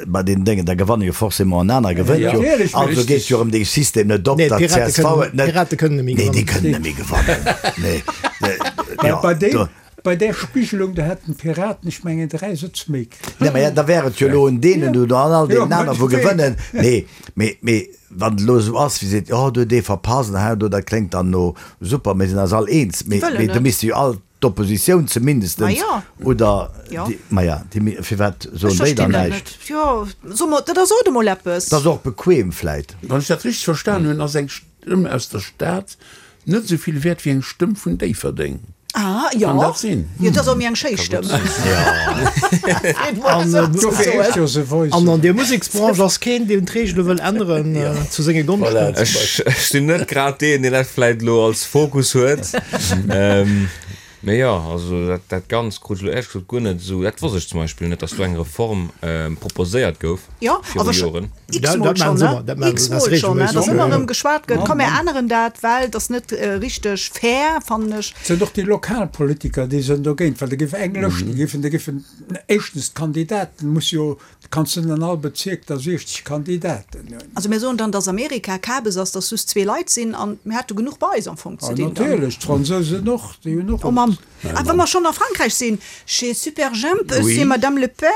S5: bei deenen Déngen, da gewanne jo forcément en aner gewënnt jo. Also geet jo erëm dee System net op,
S7: Nee,
S5: datt
S7: d'Pirate
S5: csv
S7: kënnen,
S5: et net.
S7: d'Pirate kënnen net méi
S5: Nee, déi
S7: gewannen.
S5: kënnen net méi gewannen. Nee.
S6: Well
S5: Jo,
S6: bei deem,
S5: do.
S6: bei där Spigelung, do hätten d'Piraten, ech mengen, 3 Sëtz méi kritt.
S5: Nee, mä da wär et jo elo un deenen do an all
S6: Jo,
S5: deenen aner, wou
S6: meinetwegen.
S5: gewënnen. Nee, mee, mee wann et elo esou ass, wéi seet, oh, do huet ee verpasst an hei an do, dat kléngt dann no super, mir sinn eis all eens, mee,
S2: Wëllen
S5: mee do
S2: net.
S5: misste jo all d'Oppositioun zumindestens
S2: Ma jo.
S5: oder
S2: Jo.
S5: déi, ma ja, déi mi, firwat
S2: Ech
S5: soen déi
S2: verstinn
S5: dann
S2: dat
S5: näischt?
S2: net. Jo, so mol, dat ass sot emol eppes.
S5: Dat ass och bequem vläit.
S4: Wann ech dat richteg verstan hunn, ass eng Stëmm aus der Stad Net esou vill wäert wéi eng Stëmm vun Déifferdeng.
S2: Ah, jo.
S4: Kann dat sinn?
S2: Jo, dat ass och méi eng schéi Stëmm.
S7: An an der Museksbranche ass keen, deen d'Reegele wëll änneren zu senge Gonschten.
S3: Ech sinn net grad deen, deen dat vläit elo als Fokus huet. Mee jo, also dat, dat Ganzt krut ech elo éierlech gesot guer net esou, dat wosst ech zum Beispill net, datt do eng Reform proposéiert gouf
S2: Jo,
S3: viru
S2: awer scho
S3: Joren.
S2: x-mol
S7: Dat
S2: schonn,
S7: maachen se
S2: ne?
S7: ëmmer, dat maachen se, dat ass
S2: X-mol schonn, ne?
S7: regelméisseg.
S2: Datt ëmmer erëm geschwat gëtt, komm mir änneren dat, well et ass net richteg fair, fannen ech.
S6: Et sinn och déi lokal Politiker, déi sinn dogéint, well da géif eng Lëscht, da géifen, da géifen éischtens d'Kandidaten muss jo Du kanns net an all Bezierk da 60 Kandidaten hunn.
S2: Also mir soen dann, dass Amerika Kabes ass, dass just zwee Leit sinn an mir hätte genuch bei eis am Fong ze
S6: Ah,
S2: dinn dann.
S6: natierlech, d'Fransousen och, déi hunn och
S2: Oh Mamm, ah wa mer schonn a Frankräich sinn, chez Superjhemp,
S4: Oui.
S2: c'est Madame Le Pen,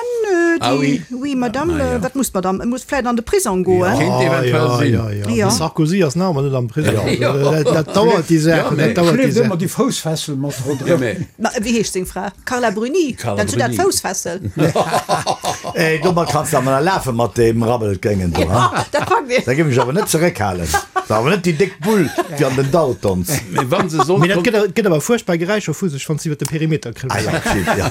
S4: Ah
S2: déi,
S4: oui.
S2: oui Madame,
S4: Ah ja.
S2: wat muss d'Madame, muss vläit an de Prisong goen.
S4: Kéint
S7: Ah,
S4: eventuell
S7: ja,
S4: sinn.
S7: ja, ja.
S2: Ja.
S7: De Sarkozy ass nach ëmmer net am Prisong.
S4: Ja.
S7: Dat, dat dauert déi
S4: Ja,
S7: Saach,
S4: mä
S7: dat dauert déi
S6: Schleeft
S7: Saach.
S6: ëmmer déi Foussfessel mat
S4: Ja,
S6: ronderëm.
S4: mä
S2: Ma wéi heescht seng Fra? Carla Bruni,
S4: Carla
S2: dat zu dat
S4: Bruni.
S2: Foussfessel.
S5: Ey, domat kanns de awer nach lafe mat deem Rabbelgéngen do, ha?
S2: Dat packt een.
S5: Da géif ech awer net zeréckhalen. War awer net déi déck Bull, déi an den Daltons.
S4: Mee wa se sollt
S7: Mee dat gëtt, gëtt awer fuerchtbar Geräischer vu sech, wann s de iwwer de Perimeter
S5: Ah
S7: krëlls.
S5: ja, stimmt, ja.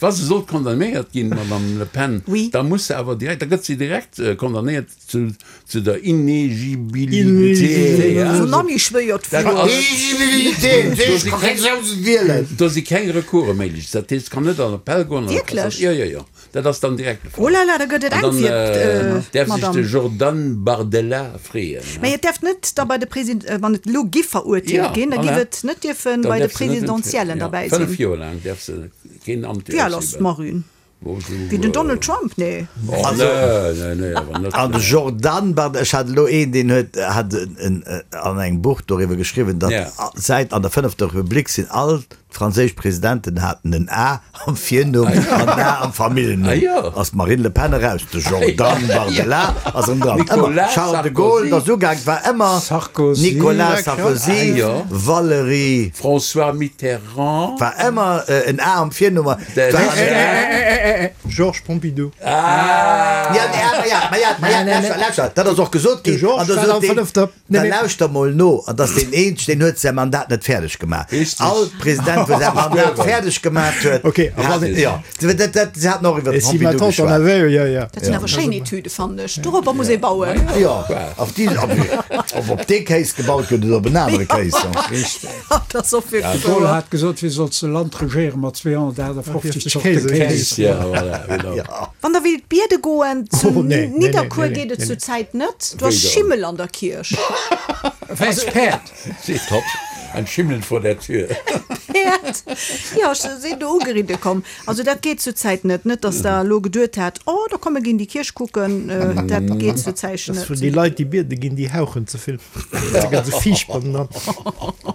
S4: Wa se sollt condamnéiert ginn, d'Madame Le Pen,
S2: Oui.
S4: da muss se awer direkt, da gëtt se direkt condamnéiert Zu zu der Inegibilité.
S2: Wou Nanni schwéiert
S4: Dat
S2: Wuert.
S4: ass.
S5: Inegibilité,
S4: Do si keng,
S5: wielen.
S4: do si keng Recourse méiglech. Dat heescht, kann net an Appell goen.
S2: Wierklech?
S4: Jo, jo, jo. Dat ass dann direkt de Fall.
S2: Oh là là, da gëtt et
S4: An
S2: enk
S4: dann
S2: fir
S4: däerf sech de
S2: d'Madame.
S4: Jordan Bardella freeën.
S2: Mä et däerf net da bei de Presid, wann et elo giff verurteelt
S4: Ja,
S2: ginn, da giff
S4: voilà.
S2: et net dierfen
S4: Dann
S2: bei de
S4: däerf se net,
S2: Presidentiellen
S4: ja,
S2: derbäi
S4: 5
S2: sinn.
S4: Joer laang däerf se keen Amt
S2: Wéi al ass
S4: ausüben.
S2: d'Marine? Wéi den Donald Trump? Nee.
S5: An de Jordan Bardella, ech hat elo een, deen huet hat an engem Buch doriwwer geschriwwen, datt säit an der fënnefter Republik sinn all d'franséisch Presidenten haten en A am Virnumm an en A am Familljennumm. Ass d'Marine Le Pen eraus, de Jordan Bardella ass erëm dran. Ëmmer Charles de Gaulle, dat ass ugaang, war ëmmer Nicolas Sarkozy, Valéry.
S4: François Mitterrand.
S5: War ëmmer en A am Virnumm.
S7: Georges Pompidou.
S5: Ja, nee, awer ja, ma ja, ma ja, lauschter, lauschter, dat ass och gesot ginn.
S7: De Georges war am fënnefter.
S5: Da lauschter mol no, an dass deen eenzeg, deen huet säi Mandat net fäerdeg gemaach. All President, wou säi Mandat fäerdeg gemaach huet, hat, jo, dat, dat, se haten och iwwer de Pompidou geschwat.
S2: Dat sinn awer schéin Etüde, fannen ech. Dorobber muss ee bauen.
S5: Jo, op déi, ob op dee Kéis gebaut gëtt oder op en anere Kéis.
S2: Dat ass och wierklech
S6: De Gaulle
S2: wouer.
S6: hat gesot, wéi solls de Land regéiere mat 258 Zorte Kéis?
S2: Wann der wéilt biede goen, zu
S7: Oh, nee, nee, nee,
S2: Nidderkuer
S7: nee,
S2: geet et
S7: nee,
S2: zur
S7: nee.
S2: Zäit net. Do ass
S4: Wéi dann?
S2: Schimmel an der Kierch.
S6: Wäiss Päerd.
S4: Top. Ein Schimmel vor der Tür.
S2: Päerd. Jo, ech sinn do ugeridde komm. Also dat geet zur Zäit net. Net, datt der elo geduet hat, oh, da komm mir ginn déi Kierch kucken. Dat geet zur Zäit
S7: Das
S2: net.
S7: vun déi Leit, déi biede ginn, déi hauchen ze vill. Da gëtt se fiicht bannendran.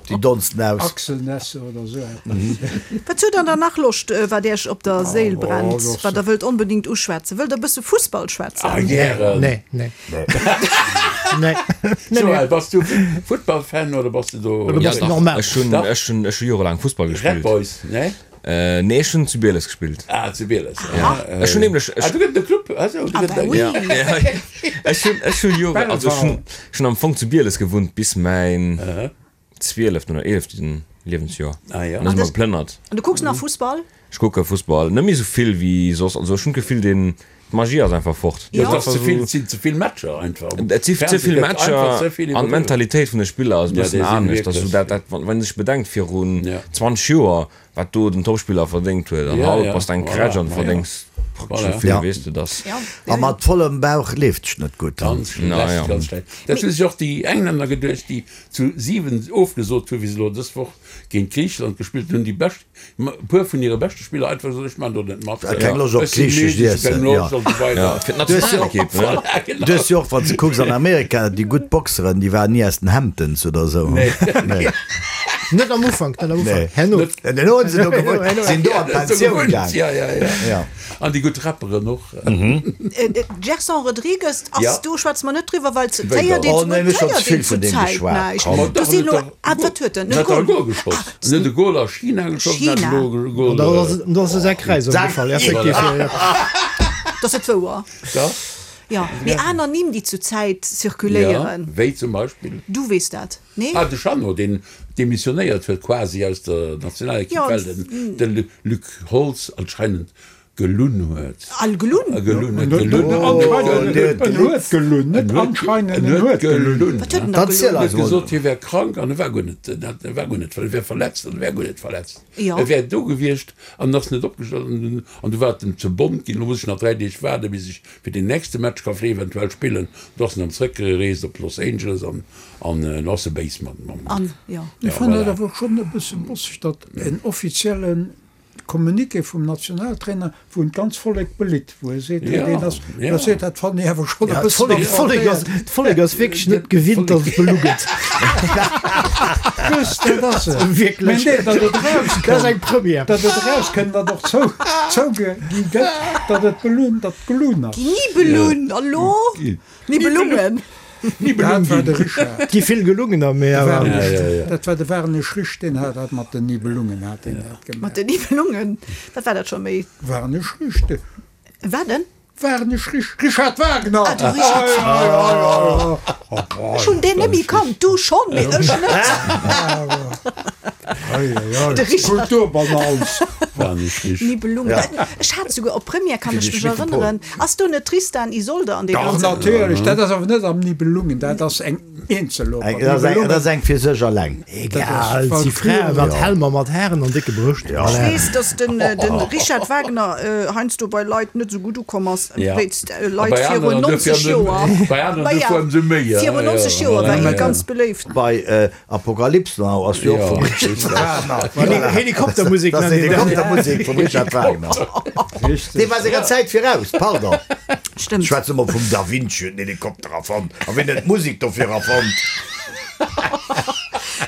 S5: Déi donsten aus.
S6: Achselnässe oder esou eppes.
S2: Wat huet der dann nach Loscht, wat Iech op der Séil brennt, wat der wëllt onbedingt uschwätzen? Wëllt der e bësse Fussball schwätzen?
S4: Ah, gären.
S7: Nee, nee. Nee. Nee,
S4: Joël,
S7: nee.
S4: bass du Futtballfan oder bass du do?
S7: Oder
S3: Ja,
S7: bass du
S3: dach.
S7: normal?
S3: Ech hunn,
S4: Dach.
S3: ech hunn, ech hu jorelaang Fussball
S4: Red
S3: gespillt.
S4: Boys, nee?
S3: Nee, ech hunn zu Bieles gespillt.
S4: Ah, zu Bieles.
S3: Ja. Ech hunn nämlech,
S4: Ah,
S3: ech,
S4: du gëtt de Club, also, du
S2: Ah,
S4: gëtt
S2: bah oui.
S3: ja, ja, ech hunn, ech hunn Jore, also ech hunn, ech hunn am Fong zu Bieles gewunnt bis mäin zwieleften oder eeleften Liewensjoer.
S4: Ah, ja.
S3: An da si mer geplënnert.
S2: An du kucks nach Fussball?
S3: Ech kucke Fussball, net méi esou vill wéi soss. Also ech hunn d'Gefill, deen, d'Magie ass einfach fort.
S4: Jo, et
S2: Ja.
S4: ass ze vill, et sinn ze vill Matcher einfach.
S3: Et si ze vill Matcher an d'Mentalitéit vun de Spiller ass e
S4: Ja,
S3: bëssen
S4: déi sinn
S3: anescht. Also
S4: wierklech.
S3: dat, dat, wann een sech bedenkt virun
S4: Ja.
S3: 20 Joer, Wat do den Topspiller verdéngt huet an
S4: Ja,
S3: haut
S4: ja,
S3: bass de eng
S4: voilà,
S3: Krätsch an
S4: ma ja.
S3: verdéngs praktesch
S4: Voilà.
S3: esou vill,
S5: Ja.
S3: weess de dass.
S2: Ja,
S5: A
S2: ja, ja.
S5: mat vollem Bauch leeft sech net gutt.
S4: Ganz schlecht,
S3: Na ja.
S4: ganz schlecht. Dat hu sech och déi Englänner geduecht, déi zu 7 ofgesot hu wéi se elo dës Woch géint Griicheland gespillt hunn. Déi bescht, e puer vun hire beschte Spiller einfach gesot, ech man do net mat.
S5: Keng Loscht op
S4: Ech si
S5: griichesch
S4: müde, ech hu keng
S5: Iessen,
S4: Loscht
S5: ja.
S4: an esou weider.
S3: Ja, fir
S5: Du hues jo och,
S3: d'Nationalekipp, ne?
S4: Voilà, genau.
S5: du hues jo och, wann s de kucks an Amerika, déi gutt Boxeren, déi waren ni aus den Hamptons oder esou.
S4: Nee.
S5: Nee.
S7: Net am Ufank, net am Ufank.
S5: Nee.
S7: Herno.
S5: Herno hunn se do gewunnt,
S7: Herno.
S5: sinn do an
S4: Ja, do
S5: d'Pensioun
S4: gewunnt,
S5: gaang.
S4: ja, ja, ja.
S5: Ja.
S4: An déi gutt Rapperen och.
S2: Gerson Rodrigues ass
S4: Ja.
S2: do schwätze mer net driwwer, well et
S4: Wéi
S2: héiert
S4: dann?
S2: een
S5: Oh nee, mir hu schonn
S2: héiert
S5: ze vill
S2: een
S5: vun
S2: zur
S5: deem
S2: Zäit
S5: geschwat.
S2: näischt.
S5: Komm.
S4: Ma
S2: Do
S4: dach,
S2: sinn
S4: en
S2: elo,
S4: huet dach
S2: ah wat huet en?
S4: En
S2: E
S4: huet dach e
S2: Goal?
S4: Goal geschoss. En huet e Goal a China geschoss, en hat
S2: China.
S4: elo e Goal.
S7: Da ass da ass e Säck Räis ëmgefall, effektiv. Ja, ja.
S2: Dat ass net wouer.
S4: Dach.
S2: Jo, mee aner Nimm, déi zur Zäit
S4: Ja,
S2: zirkuléieren.
S4: wéi zum Beispill?
S2: Du weess dat, nee?
S4: Ah, de Jeannot, deen demissionéiert huet quasi aus der Nationalekipp,
S2: Ja,
S4: well den de Luc Holtz anscheinend. Gelunn huet.
S2: Al gelunn?
S4: Gelunn huet gelunn.
S6: En huet gelunn, net anscheinend, en huet gelunn.
S2: Wat huet en da gelunn?
S4: En huet gesot, hie wär krank an e war guer net, e war guer net, e wär verletzt an e wär guer net verletzt. E wär do gewiescht an ass net opgestanden an du war et em ze bont ginn. Elo muss ech nach 3 Deeg waarden, bis ech fir den nächste Match ka eventuell spillen. Du ass en dann zréckgereest op Los Angeles an an elo ass e béis mat mam.
S6: Ech fannen et awer schonn e bësse bosseg, datt en offiziellen Communiqué vum Nationaltrainer, wou en d'ganz Vollek belitt, wou e seet, hei deen ass blesséiert, dat fannen ech awer schonn e bëssen
S7: affrontéiert. D'Vollek ass wierklech net gewinnt, datt et belu gëtt.
S6: Just, dat ass et.
S7: Wierklech.
S6: Mä nee, datt et erauskënnt.
S7: Dat ass eng Première.
S6: Datt et erauskënnt, datt och zou, zougi gëtt, datt et belunn, datt gelunn ass.
S2: Nibelunn, hallo? Nibelungen.
S6: Dat war de Richard.
S7: Et gi vill Gelungener, mee awer.
S6: Dat war de Warnesch Rich, deen hat dat mat den Nibelungen hat deen dat gemaach.
S2: Mat den Nibelungen, wat war dat scho méi?
S6: Warnesch Rich, de.
S2: Wat en?
S6: Warnesch Rich, Richard Wagner!
S2: Ah, de Richard Wagner. Ech hunn deen net méi kannt, du schonn, mee ech net. De Richard.
S6: Kulturbanals.
S4: Warnesch Rich.
S2: Nibelungen. Ech hat souguer op Première, kann ech mech erënneren. Ass do net Tristan, Isolde an dee
S6: Dach
S2: ganzen?
S6: natierlech, dat ass awer net am Nibelungen, dat ass eng Eenzeloper.
S5: Dat ass eng, dat ass eng fir sech alleng.
S7: Egal, et si Frae mat Helmer, mat Haren an décke Brëscht.
S2: Ech weess, datt den Richard Wagner heiansdo bei Leit net esou gutt ukomm ass, wéinst Leit virun 90 Joer.
S4: Bei aneren duerfir ëmsou méi.
S2: Virun 90 Joer war hie ganz beléift.
S5: Bei Apokalypse Now ass jo och vum Richard Wagner.
S7: Helikoptermusek
S5: Das ass Helikoptermusek vum Richard Wagner. Dee war senger Zäit viraus, pardon.
S2: Stëmmt.
S5: Schwätze mer vum Da Vinci huet den Helikopter erfonnt. A wien huet d'Musek dofir erfonnt?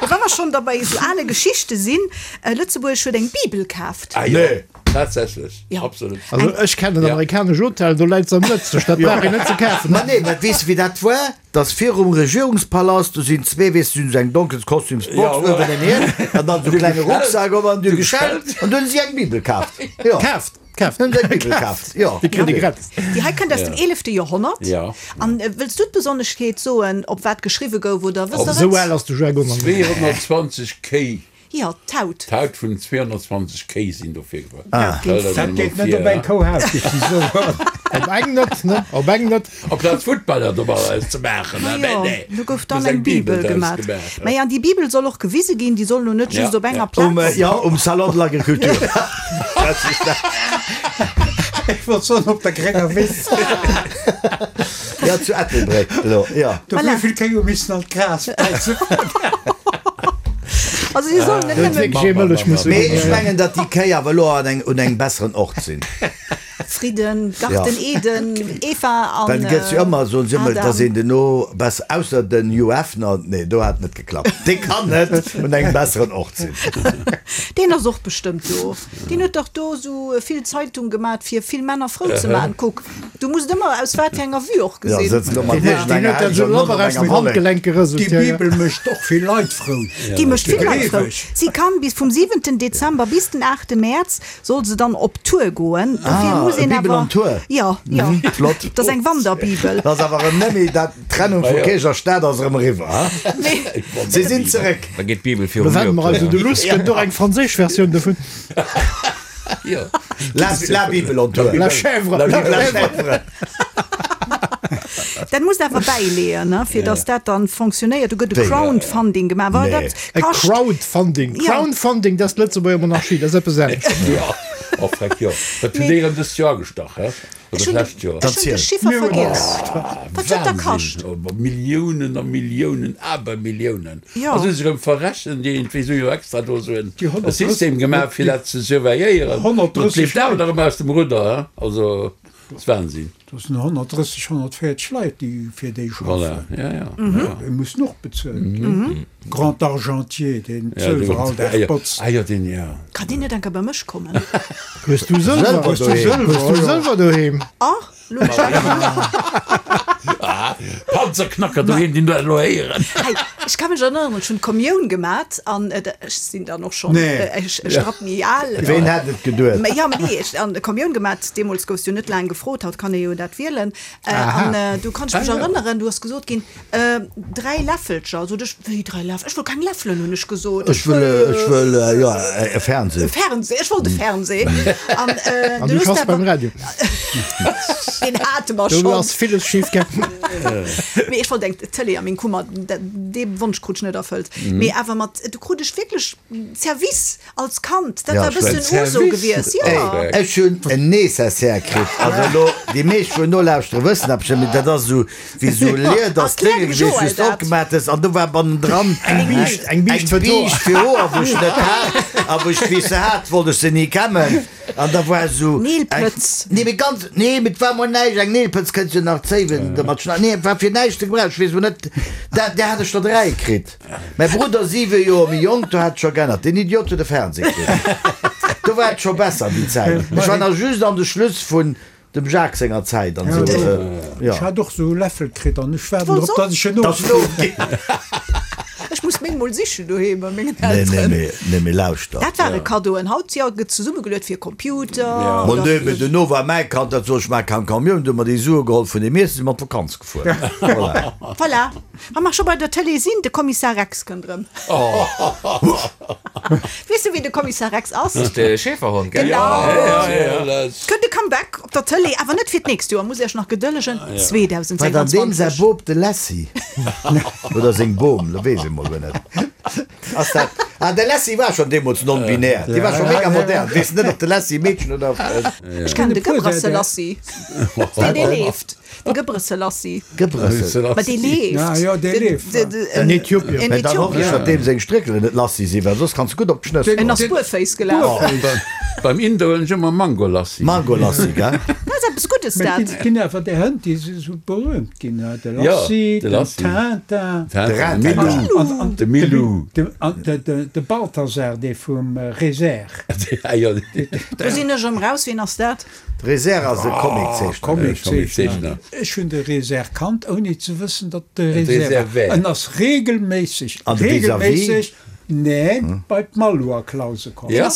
S2: Wa mer schonn da bei esou ale Geschichte sinn, Lëtzebuerg huet eng Bibel kaaft.
S4: Ah jo, tatsächlech, absolut.
S7: Also ech kennen en amerikanesch Hotel, do läit se am Lëtzesch, dat brauch een net ze kafen.
S5: Ma nee, mä weess de wéi dat war? Dass virum Regierungspalast, do sinn zwee, weess de, si hunn esou eng donkel Kostümsbox uewen en Hiem an dann esou e klenge Rucksak op an du geschellt an du hunn si eng Bibel kaaft. Jo.
S7: Kaaft, kaaft.
S5: Hunn se eng Bibel kaaft, jo.
S7: Déi kritt ee gratis.
S2: Déi hei kënnt aus dem eelefte Joerhonnert.
S4: Jo.
S2: An wëlls du d'Besonneschkeet soen, op wat geschriwwe gouf, oder wësst der et?
S7: Esou al ass de Jargon nach net.
S4: 220 Kéi.
S2: Jo, d'Haut.
S4: D'Haut vun 220 Kéi sinn dofir gebraucht.
S6: Dat geet net op eng Kouhaut, géif ech soen.
S7: Op eng net, ne? Op eng net.
S4: Amplaz Futtballer domadder ze maachen,
S2: Ma
S4: mä
S2: jo,
S4: nee,
S2: do gouf dann
S4: muss
S2: eng
S4: eng Bibel
S2: Bibel
S4: draus
S2: gemat.
S4: gemaach.
S2: Mä an déi Bibel soll och gewise ginn, déi soll lo net just
S4: Ja,
S2: op enger
S4: ja.
S2: Plaz.
S5: Um, jo, um Salon de l'Agriculture.
S6: Ech wollt soen, op der grénger Wiss.
S5: Jo, zu Ettelbréck elo, jo.
S6: Do
S2: Voilà.
S6: wéi vill Kéi hu missen an d'Gras bäissen.
S2: Also si sollen net
S7: Huet
S2: nëmmen.
S7: wierklech ee Mëllech musse
S5: Mee
S7: ginn.
S5: ech mengen, datt déi Kéi awer elo an eng, un engem besseren Ort sinn.
S2: Fridden, Garten Eden, Eva an
S5: Well et gëtt jo ëmmer, soen se ëmmer,
S2: Adam.
S5: datt een duerno besser, ausser den Hugh Hefner, nee, do hat et net geklappt. Dee kann net un engem besseren Ort sinn.
S2: Deen ass och bestëmmt do. Deen huet dach do sou vill Zeitung gemat fir vill Männer frou ze man. Kuck, du muss et ëmmer aus wat fir enger Vue och
S5: Ja,
S2: gesinn.
S5: sëtzt elo mat
S7: Deen huet
S5: iergendenger
S7: dat
S5: Hellege
S7: sou
S5: an net op
S7: labber aus
S5: enger
S7: dem
S5: Wollek.
S7: Handgelenk gerëselt.
S6: Déi
S7: Ja, ja.
S6: Bibel mécht och vill Leit frou.
S2: Déi mécht vill Leit frou.
S6: Gleeweg.
S2: Si kann bis vum siwenten Dezember bis den aachte Mäerz soll se dann op Tour goen. Dofir
S5: Ah,
S2: muss
S5: e
S2: een
S5: Bibel
S2: awer
S5: on Tour.
S2: Jo, jo.
S5: Flott.
S2: Dat ass eng Wanderbibel.
S5: Dat ass awer erëm net méi dat, d'Trennung vu Kierch a Staat ass erëm eriwwer, ha? Si sinn zeréck.
S3: Da geet d'Bibel
S7: Lo
S3: viru mir
S7: wenne
S3: op
S7: mer eis
S3: Tour.
S7: un de Luss. Gëtt och eng franséisch Versioun dovun.
S5: La, la Bible on tour.
S7: La chèvre.
S5: La chèvre.
S2: Dat muss awer bäileeën, ne, fir datt dat dann fonctionnéiert. Do gëtt e
S5: Wéi?
S2: Crowdfunding gemaach. Well
S5: Nee.
S2: dat
S7: E
S2: kascht.
S7: Crowdfunding.
S2: Ja.
S7: Crowdfunding, dat ass d'Lëtzebuerger Monarchie, dat ass eppes anescht.
S4: Jo, oh freck, jo. Dat hunn déi erëm dëst Joer agestach, he? Oder
S2: Ech hunn
S4: d'lescht Joer.
S2: ech hunn de Chiffer vergiess. Wat huet dat kascht?
S4: Wahnsinn! Milliounen a Milliounen, Abermilliounen.
S2: Jo.
S4: A si hu sech erëm verrechent, iergendwéi si hu jo extra do esou en
S6: Déi 130
S4: System gemaach, fir dat ze surveilléieren.
S6: 130
S4: Dat leeft awer nach ëmmer aus dem Rudder, he? Also, dat ass Wahnsinn.
S6: Dat sinn 130, 140 Leit, déi fir déi schaffen.
S4: Voilà, ja, ja. ja.
S6: Déi mussen och bezuelt ginn. Grand Argentier, deen
S4: Ja, dee
S6: d'Sëlwer all Dag botzt.
S4: Ah jo, deen, ja.
S2: Kann deen net enker bei mech kommen?
S7: Hues du Sëlwer?
S5: Sëlwer
S7: Hues du
S5: doheem.
S7: Sëlwer doheem?
S2: Ah, lo hunn ech dat.
S4: Panzerknacker doheem, déi dat elo héieren.
S2: Hey, ech ka mech erënneren, ech hunn d'Kommioun gemat an ech sinn dann och schonn e Strapp méi al.
S5: Ween hätt et geduet?
S2: Mä jo, mä nee, ech an d'Kommioun gemat, deemools goufs du net laang gefrot, haut kann ee jo dat wielen. An du kann ech mech erënneren, du ass gesot ginn, 3 Läffelcher, sot ech, wéi 3 Läffel, ech wëll keng Läffelen, hunn ech gesot,
S5: ech wëll, ech wëll, jo, e Fernseh.
S2: E Fernseh, ech wollt e Fernseh.
S7: An du schaffs beim Radio.
S2: Deen hate mer schonn.
S7: Do ass villes schif gaangen.
S2: Mee ech wollt eng Tëlee a meng Kummer, dee Wonsch krut ech net erfëllt. Mee awer mat, du krut ech wierklech Service. Als Kand, dat war e bëssen Uso gewiescht, jo.
S5: Ech hunn en Nécessaire kritt. Also elo, déi meescht wou nolauschteren, wëssen dat bestëmmt, mee dat ass esou wéi esou Liedersdénge gewiescht, wou s de opgemaach hues an do war bannendran
S7: Eng Biischt, eng Biischt fir d'Hoer.
S5: Eng Biischt fir Hoer, wou ech net hat. A wou ech, wéi ech se hat, wollt ech se ni kämmen. An da war esou eng.
S2: Neelpëtz.
S5: Nee, mee ganz, nee, mee et war mol näischt. Eng Neelpëtz kënns jo nach zéiwen domat schneiden. Nee, et war fir näischt ze gebrauchen. Ech weess elo net, dat, där hat ech der 3 kritt. Mäi Brudder, 7 Joer méi jonk, do hat et scho geännert. Deen Idiot huet e Fernseh kritt. Do war et scho besser déi Zäit. Ech war nach just an de Schluss vun dem Jacques senger Zäit an esou, jo.
S6: Ech hat och esou e Läffel kritt an ech waarden drop, datt ech en ofginn.
S2: Ech muss meng mol sichen doheem bei mengen Elteren.
S5: Nee, nee, mee lauschter.
S2: Dat ware Kaddoen. Haut, jo, gëtt zesummegeluet fir Computer.
S5: Ma nee, mee duerno war mäi Kand, dat sot ech, maach keng Camion, du hu mer déi Sue geholl vun deem Iessen, si mer an d'Vakanz gefuer. Voilà.
S2: Voilà. Wa mer scho bei der Tëlee sinn, de Kommissar Rex kënnt erëm. Weess de, wien de Kommissar Rex ass?
S3: Dat ass de Schäferhond, gell?
S2: Genau. Kënnt e Comeback op der Tëlee, awer net fir d'nächst Joer, muss Iech nach gedëllegen,
S5: War dann deem säi
S2: 2026.
S5: Bop de Lassie? Oder seng Bom, lo weess ech mol guer net. Ass dat, ah, de Lassie war schonn deemools non-binär, dee war scho mega modern. Weess net, ob de Lassie Meedchen oder.
S2: Ech kennen de Gebrselassie, deen dee leeft. De Gebrselassie.
S5: Gebrselassie.
S2: Ma dee leeft.
S6: Ja, jo, dee leeft.
S7: En Äthiopier.
S5: En Mä dann hoffen ech, datt deem seng Stréckelen net lassi sinn, well soss kanns de gutt op d'Schnëss
S2: En ass
S5: goen.
S2: buerféiss gelaf.
S4: Beim Inder huelen ech ëmmer Mangolassi.
S5: Mangolassi, gell?
S2: Dat ass eppes Guddes,
S6: Mä
S2: dat.
S6: et ginn awer där Hënn, déi si sou berühmt ginn, de Lassie, den Tintin.
S5: De Rintintin.
S6: An
S4: De Milou.
S6: An de Balthasar, dee vum Reserre.
S2: Do sinn ech erëm raus. Wien ass dat?
S5: De Reserre ass e Comiczeechner.
S4: Comiczeechner.
S6: Ech hunn de Reserre kannt, ouni ze wëssen, datt et de Reserre war. En ass regelméisseg, regelméisseg, neen, bei d'Malou a Clause komm.
S4: Ja,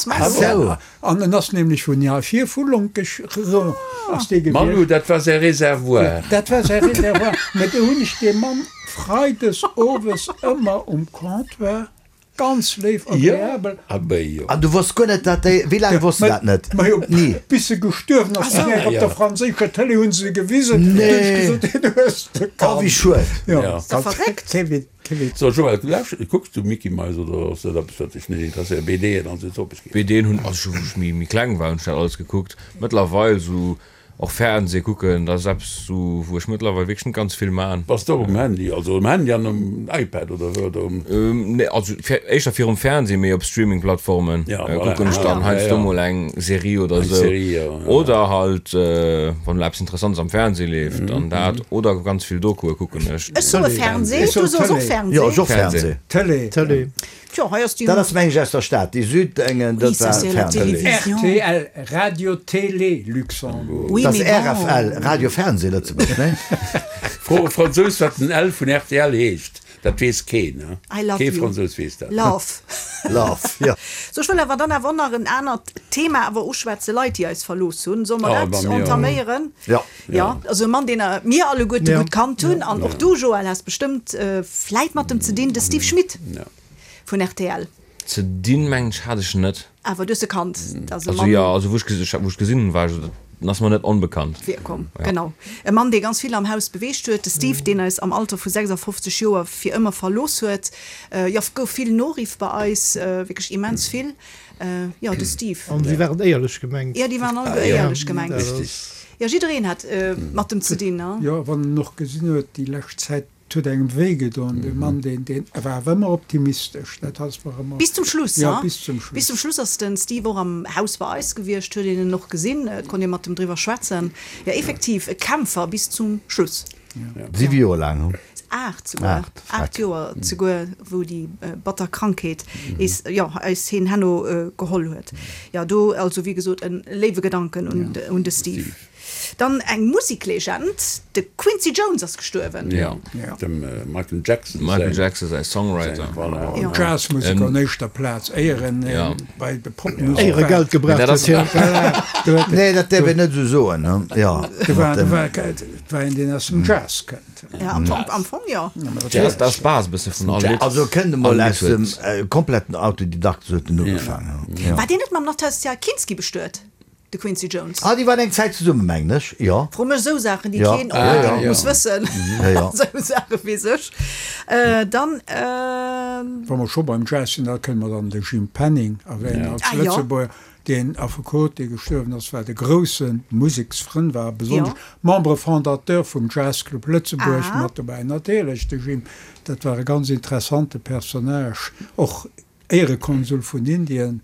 S6: An en ass nämlech vun hei vir, vu Lonkech ass dee gewiescht.
S4: Malou, dat war säi Reservoir.
S6: Dat war säi Reservoir. Mä do hunn ech dee Mann freides owes ëmmer um Comptoir Ganz léif, agreabel.
S5: An du wosst guer net dat déi, wéi laang wosst de dat net?
S6: Majo,
S5: Ni.
S6: bis se gestuerwen ass, sinn eng op der franséischer Tëlee hunn se gewisen, du hunn ech gesot, deen hues de
S5: Oh,
S6: kannt.
S5: wéi schued.
S6: Jo,
S2: Ass der verréckt?
S6: Kee Witz, kee Witz.
S4: So Joël, du lauschters, kucks du Mickey Mouse oder ass dat eppes wat dech net interesséiert, BDen an esou Topeg?
S3: BDen hunn, also wou ech méi méi kleng war, hunn ech dat alles gekuckt. Mëttlerweil sou Och Fernseh kucken, dat ass eppes sou wou ech mëttlerweil wierklech net ganz vill man.
S4: Bass de och um Handy, also um Handy an um iPad oder wou oder um.
S3: Nee, also éischter virum Fernseh, mee op Streaming-Plattformen kucken ech dann heiansdo mol eng Serie oder sou. Oder halt wann elo eppes Interessantes am Fernseh leeft, dann dat. Oder ganz vill Dokue kucken ech.
S2: Ech soe Fernseh, du soos och Fernseh?
S5: Jo, ech och Fernseh.
S6: Tëlee.
S7: Tëlee.
S2: Tjo, hei ass déi.
S5: Dat ass meng ech aus der Stad, déi Südengen, dat war Fernseh.
S6: Rtl, Radio Télé Luxembourg.
S5: Dat ass RFL, Radio Fernseh Lëtzebuerg, nee?
S4: Fro e Fransous wat den L vun rtl heescht, dat weess keen, he?
S2: I love
S4: Kee
S2: you.
S4: Fransous weess dat.
S2: Love.
S5: Love, jo.
S2: Sou, ech wëll awer dann awer och nach en anert Thema awer uschwätzen, Leit, déi eis verlooss hunn. Solle mer
S4: Oh,
S2: dat
S4: bei mir och.
S2: entaméieren?
S5: Jo.
S2: Jo, also e Mann, deen mir alleguerte gutt kannt hunn, an och du, Joël, has bestëmmt vläit mat em ze dinn, de Steve Schmit vun rtl.
S3: Ze dinn, mengen ech, hat ech net.
S2: Awer du hues e kannt, dat ass e
S3: Also
S2: Mann.
S3: jo, also wou ech wou ech gesinn hunn, war ech, en ass mer net onbekannt.
S2: Virkomm, genau. E Mann, dee ganz vill am Haus beweegt huet, de Steve, deen eis am Alter vu 56 Joer fir ëmmer verlooss huet. Jo, gouf vill Noriff bei eis, wierklech immens vill. Jo, de Steve.
S7: An si waren éierlech gemengt.
S2: Jo, déi waren alleguer éierlech gemengt. Jo, jiddereen hat mat em ze dinn, ne?
S6: Jo, wann en och gesinn huet déi lescht Zäit, et huet engem wéi gedoen, dee Mann, deen, deen war awer ëmmer optimistesch, dat ass mer ëmmer.
S2: Bis zum Schluss,
S6: Jo,
S2: ne?
S6: bis zum Schluss.
S2: Bis zum Schluss ass de Steve och am Haus bei eis gewiescht, huet een en och gesinn, et konnt ee mat em driwwer schwätzen. Jo, effektiv, e Kämpfer bis zum Schluss.
S5: Siwe Joer laang, hu?
S2: Aacht souguer.
S5: Aacht,
S2: Aacht Joer zeguer, wou déi batter Krankheet is, jo, eis heen herno geholl huet. Jo, do also wéi gesot e léiwe Gedanken un de Steve. Dann eng Musiklegend, de Quincy Jones ass gestuerwen.
S4: Jo, dem Michael Jackson säin.
S3: Michael Jackson säi Songwriter.
S4: Voilà.
S6: Jazzmuseker an éischter Plaz, éier en bei de Popmusek war.
S7: Éier e Geld gebraucht huet,
S5: jo. Nee, dat däerf een net esou soen, jo.
S6: Do war, do war, et war een, deen aus dem Jazz kënnt.
S2: Ja, am Fong, am Fong jo.
S3: Jazz, dat ass d'Base bësse vun all Lidd.
S5: Also e kënnt emol aus dem kompletten Autodidakt, esou huet en ugefaangen, jo.
S2: War deen net mam Nastassja Kinski bestuet? De Quincy Jones.
S5: Ah, déi waren eng Zäit zesummen, mengen ech, jo.
S2: Fro mech esou Saachen, déi keen onbedéngt muss wëssen. Esou Saache weess ech. Dann.
S6: Wa mer scho beim Jazz sinn, da kënne mer dann de Jim Penning erwänen als Lëtzebuerger, deen Affekot, dee gestuerwen ass, wat e grousse Museksfrënn war, besonnesch Membre fondateur vum Jazzclub Lëtzebuerg mat dobäi. Natierlech, de Jim, dat war e ganz interessante Personnage, och Éierekonsul vun Indien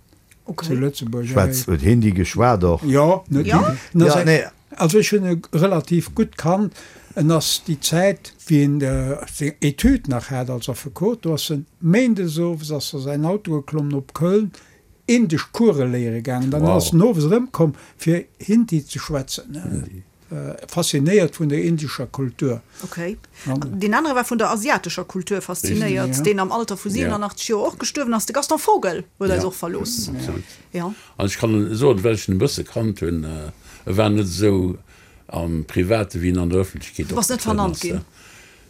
S6: zu Lëtzebuerg.
S5: Schwätz, huet Hindi geschwat och?
S6: Jo, en huet Hindi. En ass eng, also ech hunn e relativ gutt kannt. En ass déi Zäit, wéi en seng Etüd nach hat als Affekot, do ass en méindes owes ass a säin Auto geklommen op Köln, indesch Course léiere gaangen. Dann ass en owes erëmkomm fir Hindi ze schwätzen. Faszinéiert vun der indescher Kultur.
S2: Ok. Deen anere war vun der asiatescher Kultur faszinéiert, deen am Alter vu 87 Joer och gestuerwen ass, de Gaston Vogel huet eis och verlooss.
S4: Absolut. An ech kann soen, well ech en e bësse kannt hunn, e war net esou am Private wéi en an der Ëffentlechkeet
S2: Du bass net
S4: opgetrueden
S2: vernannt
S4: ass.
S2: ginn?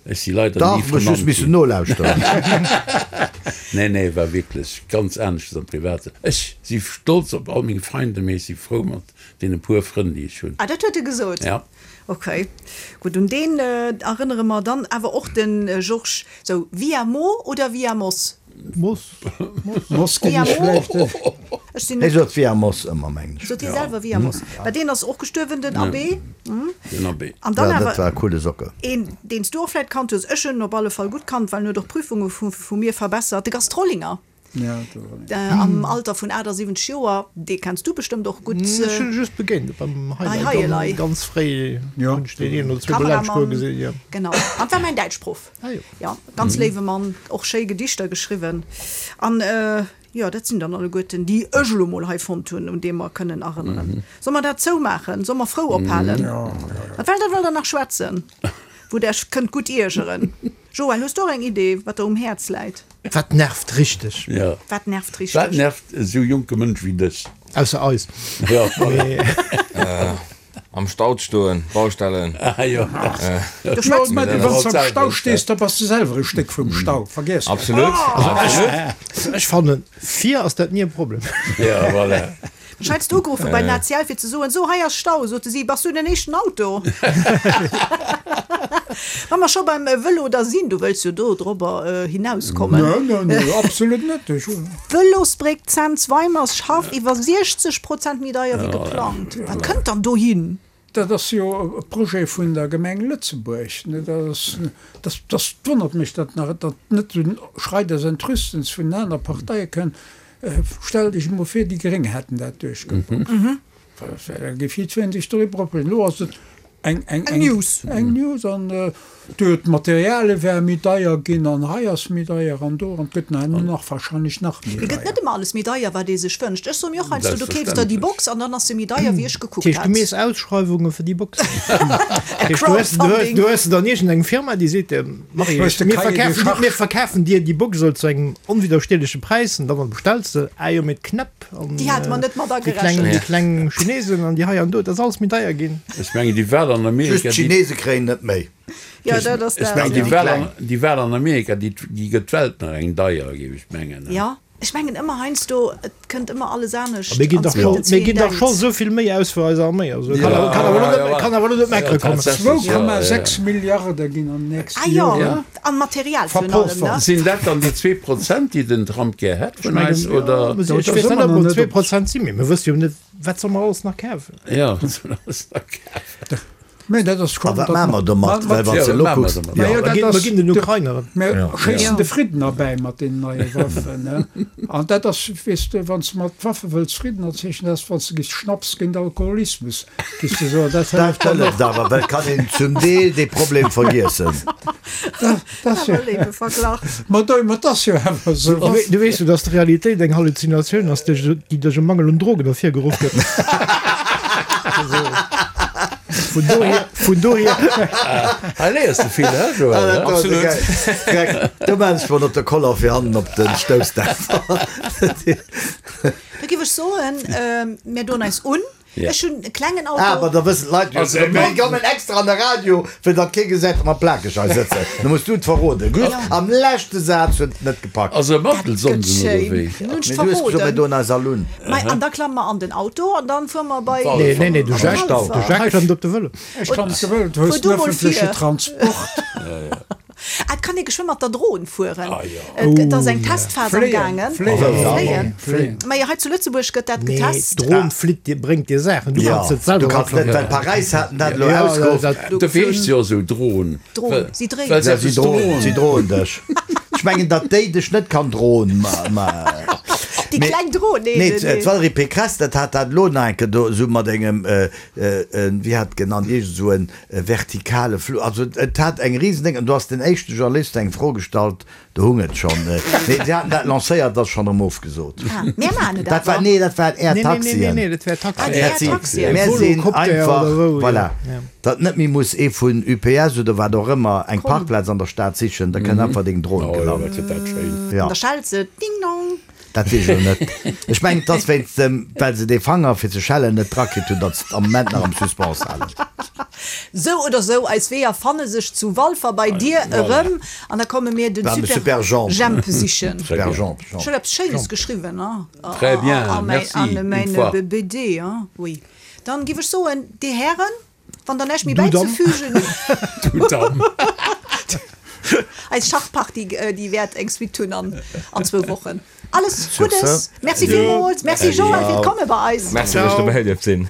S4: Ech si leider
S5: Dach,
S4: ni
S5: muss just
S4: vernannt
S5: missen
S4: ginn.
S5: nolauschteren.
S4: Nee, nee, e war wierklech ganz aneschters am Privaten. Ech si stolz op all meng Feinde, mee ech si frou mat deene puer Frënn, déi ech hunn.
S2: Ah, dat huet e gesot?
S4: Ja.
S2: Ok, gutt, un deen erënnere mer dann awer och de Georges. Sou, via Mo oder via Moss?
S7: Moss.
S6: Moss ginn
S2: Via
S6: ech
S2: Mo?
S6: vläicht.
S2: Ech sinn
S5: Hie
S2: net.
S5: sot via Moss ëmmer, mengen ech.
S2: Sot hie selwer via Moss? Mä deen ass och gestuerwen, den Abbé.
S4: Den Abbé.
S2: An dann
S5: Ja, dat
S2: awer
S5: war e coole Socke.
S2: een, deen s du och vläicht kannt hues, ech hunn en op alle Fall gutt kannt, well en huet och Prüfunge vu mir verbessert, de Gast Rollinger. Am Alter vun 78 Joer, dee kenns du bestëmmt och gutt.
S7: Ech hunn e just begéint beim Hei Elei, ganz fréi hunn ech deen een oder zweemol laanscht goe gesinn, jo.
S2: Genau, an war mäin Däitschproff. Jo, ganz léiwe Mann, och schéi Gedichter geschriwwen. An jo, dat sinn dann alleguerten déi ech elo mol hei fonnt hunn, un déi mer kënnen erënneren. Solle mer dat zoumaachen? Solle mer frou ophalen? Wat wéllt der, wëllt der nach schwätzen, wou der iech kënnt gutt iergeren? Joël, hues du och eng Idee, wat der um Häerz läit?
S7: Wat nervt richteg?
S4: Ja.
S2: Wat nervt richteg?
S4: Wat nervt esou jonke Mënsch wéi dech?
S7: Ausser eis.
S4: Ja, voilà.
S3: Am Stau stoen, Baustellen.
S4: Ah jo.
S2: Du schwätz
S6: Mä du, wann s de am Stau stees, da bass de selwer e Stéck vum Stau, vergiess dat.
S3: Absolut, absolut.
S7: Ech fannen, vir ass dat ni e Problem.
S4: Ja, voilà.
S2: Ech hat ugeruffen bei den ACL fir ze soen, so hei ass Stau, sote si, bass du den éischten Auto? Wa mer scho beim Vëlo da sinn, du wëlls jo do drobber hinauskommen.
S6: Nö, nö, nö, absolut net. Ech hu.
S2: Vëlosbréck Cents-Weimerschaff iwwer 60 Prozent méi deier wéi geplangt. Wat kënnt dann dohin?
S6: Dat ass jo e Projet vun der Gemeng Lëtzebuerg. Dat dat wonnert mech, datt nach datt net esou en Schrei des Entrüstens vun den aner Parteie kënnt. Stellt Iech emol vir, déi Gréng hätten dat duerchgeboxt. Da géif jiddweree sech doriwwer opreegen. Elo ass et eng eng
S2: News.
S6: Eng News an do d'Materialie wäre méi deier ginn an hei ass méi deier an do an et gëtt nach nach wahrscheinlech nach méi
S2: Et gëtt
S6: deier.
S2: net ëmmer alles méi deier, wat ee sech wënscht. Ech soe mir och heiansdo, du keefs der déi Box an dann ass se méi deier, wéi ech gekuckt
S7: Dat heescht, du
S2: hat.
S7: mees Ausschreiwunge fir déi Boxen?
S2: E
S7: Dat heescht, du hues, du hues,
S2: Crowdfunding.
S7: du hues dann iergendeng Firma, déi seet dir, Marie,
S6: Hues de
S7: mir
S6: Cahier des
S7: verkafen dir,
S6: charges?
S7: mir verkafen dir déi Box elo zu engem onwiddersteeleche Präis an dann bestells de, ah jo, mee d'Knäpp an
S2: Déi hate mer net mat
S7: déi kleng,
S2: agerechent.
S7: déi kleng Chinesen an déi hei an do, dat ass alles méi deier ginn.
S4: Ech mengen, déi Wahl an
S5: Just
S4: Amerika, déi.
S5: d'Chinese kréien net méi.
S2: Jo, dat ass
S4: Ech
S2: dat,
S4: mengen, déi
S2: jo.
S4: Wahl an, déi Wahl an Amerika, déi, déi gëtt d'Welt nach eng deier, géif ech mengen.
S2: Jo, ech mengen ëmmer heiansdo, et kënnt ëmmer alles anescht,
S7: Mir ginn
S2: an
S7: dach scho,
S2: et
S7: mir
S2: wéi
S7: ginn
S2: een
S7: dach scho
S2: denkt.
S7: esou vill Méi aus fir eis Arméi. Also kann
S4: Ja,
S7: awer, kann awer elo
S4: ja,
S7: net,
S4: ja.
S7: kann awer elo net meckere kommen.
S6: 2,6 Milliarde ginn an den nächste
S2: Ah jo,
S6: Joren
S2: an Material virun allem, ne?
S4: Sinn dat dann déi 2%, déi den Trump gär hätt vun eis, oder?
S7: Ech weess net, ob et 2% sinn, mee mir wësse jo net, wat solle mer alles nach kafen.
S4: Ja, wat solle mer alles nach kafen?
S6: Mä dat ass
S5: A
S6: schonn,
S5: wat
S6: datt
S5: maache mer domat? Well wann s de elo kucks,
S6: Mä jo, dat
S7: Mer
S6: ass,
S7: ginn den Ukraineren.
S6: Mer schéissen de Fridden erbäi mat deenen neie Waffen. An dat ass, weess de, wann s de mat Waffe wëlls Fridden erzeechen, dat ass, wann s de giss Schnaps géint Alkoholismus, giss de soen, dat
S5: Dat
S6: hëlleft dann
S5: hëlleft
S6: och.
S5: awer, well kann een zum Deel dee Problem vergiessen.
S6: Dat ass jo,
S2: Awer léiwe Verglach.
S6: ma do, ma dat ass jo awer esou.
S7: Du wee, du weess jo, datt d'Realitéit eng Halluzinatioun ass, duerch, déi duerch e Mangel un Drogen ervirgeruff gëtt. Vun dohier, vun dohier.
S4: Hei léiers de vill, he Joël?
S5: Absolut. Do maan ech mol op de Koller fir hannen op den Stoussdämpfer.
S2: Da giff ech soen, mir doen eis un. Ech hunn e klengen Auto.
S5: Ah, ma da wëssen d'Leit jo.
S4: Also,
S5: Mir kommen extra an de Radio, fir datt kee gesäit, datt mer plakeg hei sëtzen. Da muss du et verroden. Just am leschte Saz huet et net gepackt.
S4: Ass e Mantelsonden oder wéi?
S2: Nun hunn ech
S5: Mee du hues gesot, mir
S2: verroden.
S5: doen eis all un.
S2: Mei, an da klamme mer an den Auto an dann fuere mer bei.
S7: Nee, nee, nee, de Jacques, de Jacques klëmmt op de Vëlo.
S6: Ech klammen op de Vëlo, du hues
S2: Fuer
S6: den
S2: du mol
S6: ëffentleche
S2: vir.
S6: Transport.
S2: Ah, et kann ee geschwë mat der Dron fueren.
S4: Ah, jo.
S2: Et gëtt ass eng Testphas am gaangen.
S6: Fléien,
S2: Fléien. Majo, hei zu Lëtzebuerg gëtt dat
S7: Nee,
S2: getest.
S7: d'Dron flitt dir, bréngt dir Saachen. Du
S5: Ja,
S7: kanns et selwer
S5: du kanns net, well Paräis haten dat elo
S7: Ja,
S5: ausgeruff.
S7: dat,
S4: Dofir heescht se jo esou Dron.
S2: Dron, si dréint.
S4: Well se
S5: Ja, si
S4: eppes
S5: droen,
S4: droen.
S5: si droen dech. Ech mengen, datt déi dech net kann droen, ma, ma.
S2: Déi kleng Dron, nee,
S5: Nee,
S2: nee, nee.
S5: d'Valérie Pécresse, dat hat dat elo nach eng Kéier do esou mat engem, wéi hat et genannt, iergend esou en vertikale Flug, also et hat eng Riesendéng, an do ass den éischte Journalist eng Fro gestallt, do hung et schonn, nee si haten dat lancéiert, ass schonn erëm ofgesot.
S2: Ah, mär maachen et
S5: Dat war,
S2: awer.
S5: nee dat waren Air
S7: Nee, nee, nee, nee,
S5: Taxien.
S7: nee, dat wär
S2: Ah, déi
S7: Taxien.
S2: Air Taxien.
S5: Mär sinn
S7: Volocopter
S5: einfach,
S7: oder wou,
S5: voilà,
S7: ja.
S5: datt net méi muss ee vun UPS oder wat och ëmmer eng Parkplaz an der Stad sichen, da kënnt einfach deng Dron
S4: Oh jo,
S5: gelant.
S4: dat wier dat schéin.
S5: Ja.
S2: An da schellt se, Ding dong.
S5: Dat weess ech elo net. Ech mengen, et ass wéinst dem, well se dee Fanger fir ze schellen net drakritt hunn, datt se et am Moment nach am Suspens halen.
S2: Sou oder sou, eis Weeër fanne sech zu Walfer bei dir erëm an da komme mir den
S5: Beim
S2: Super
S5: Super
S2: Jemp sichen.
S5: Super Jemp, Jemp.
S2: Ech hunn eppes Schéines geschriwwen, hein?
S4: Très bien,
S2: A mäin,
S4: merci,
S2: an
S4: une
S2: mäin
S4: fois.
S2: BD, hein? Oui. Dann giff ech soen, dir Hären, Wann der näischt méi
S7: Du Damm.
S2: bäizefügen
S4: Du Damm.
S2: Eis Schachpartie, déi wäert eng Suite hunn an an zwou Wochen. Alles
S5: Sur ce.
S2: Guddes, Merci villmools, Merci Joël fir d'Komme bei eis.
S3: Merci, dass ech dobäi dierft sinn.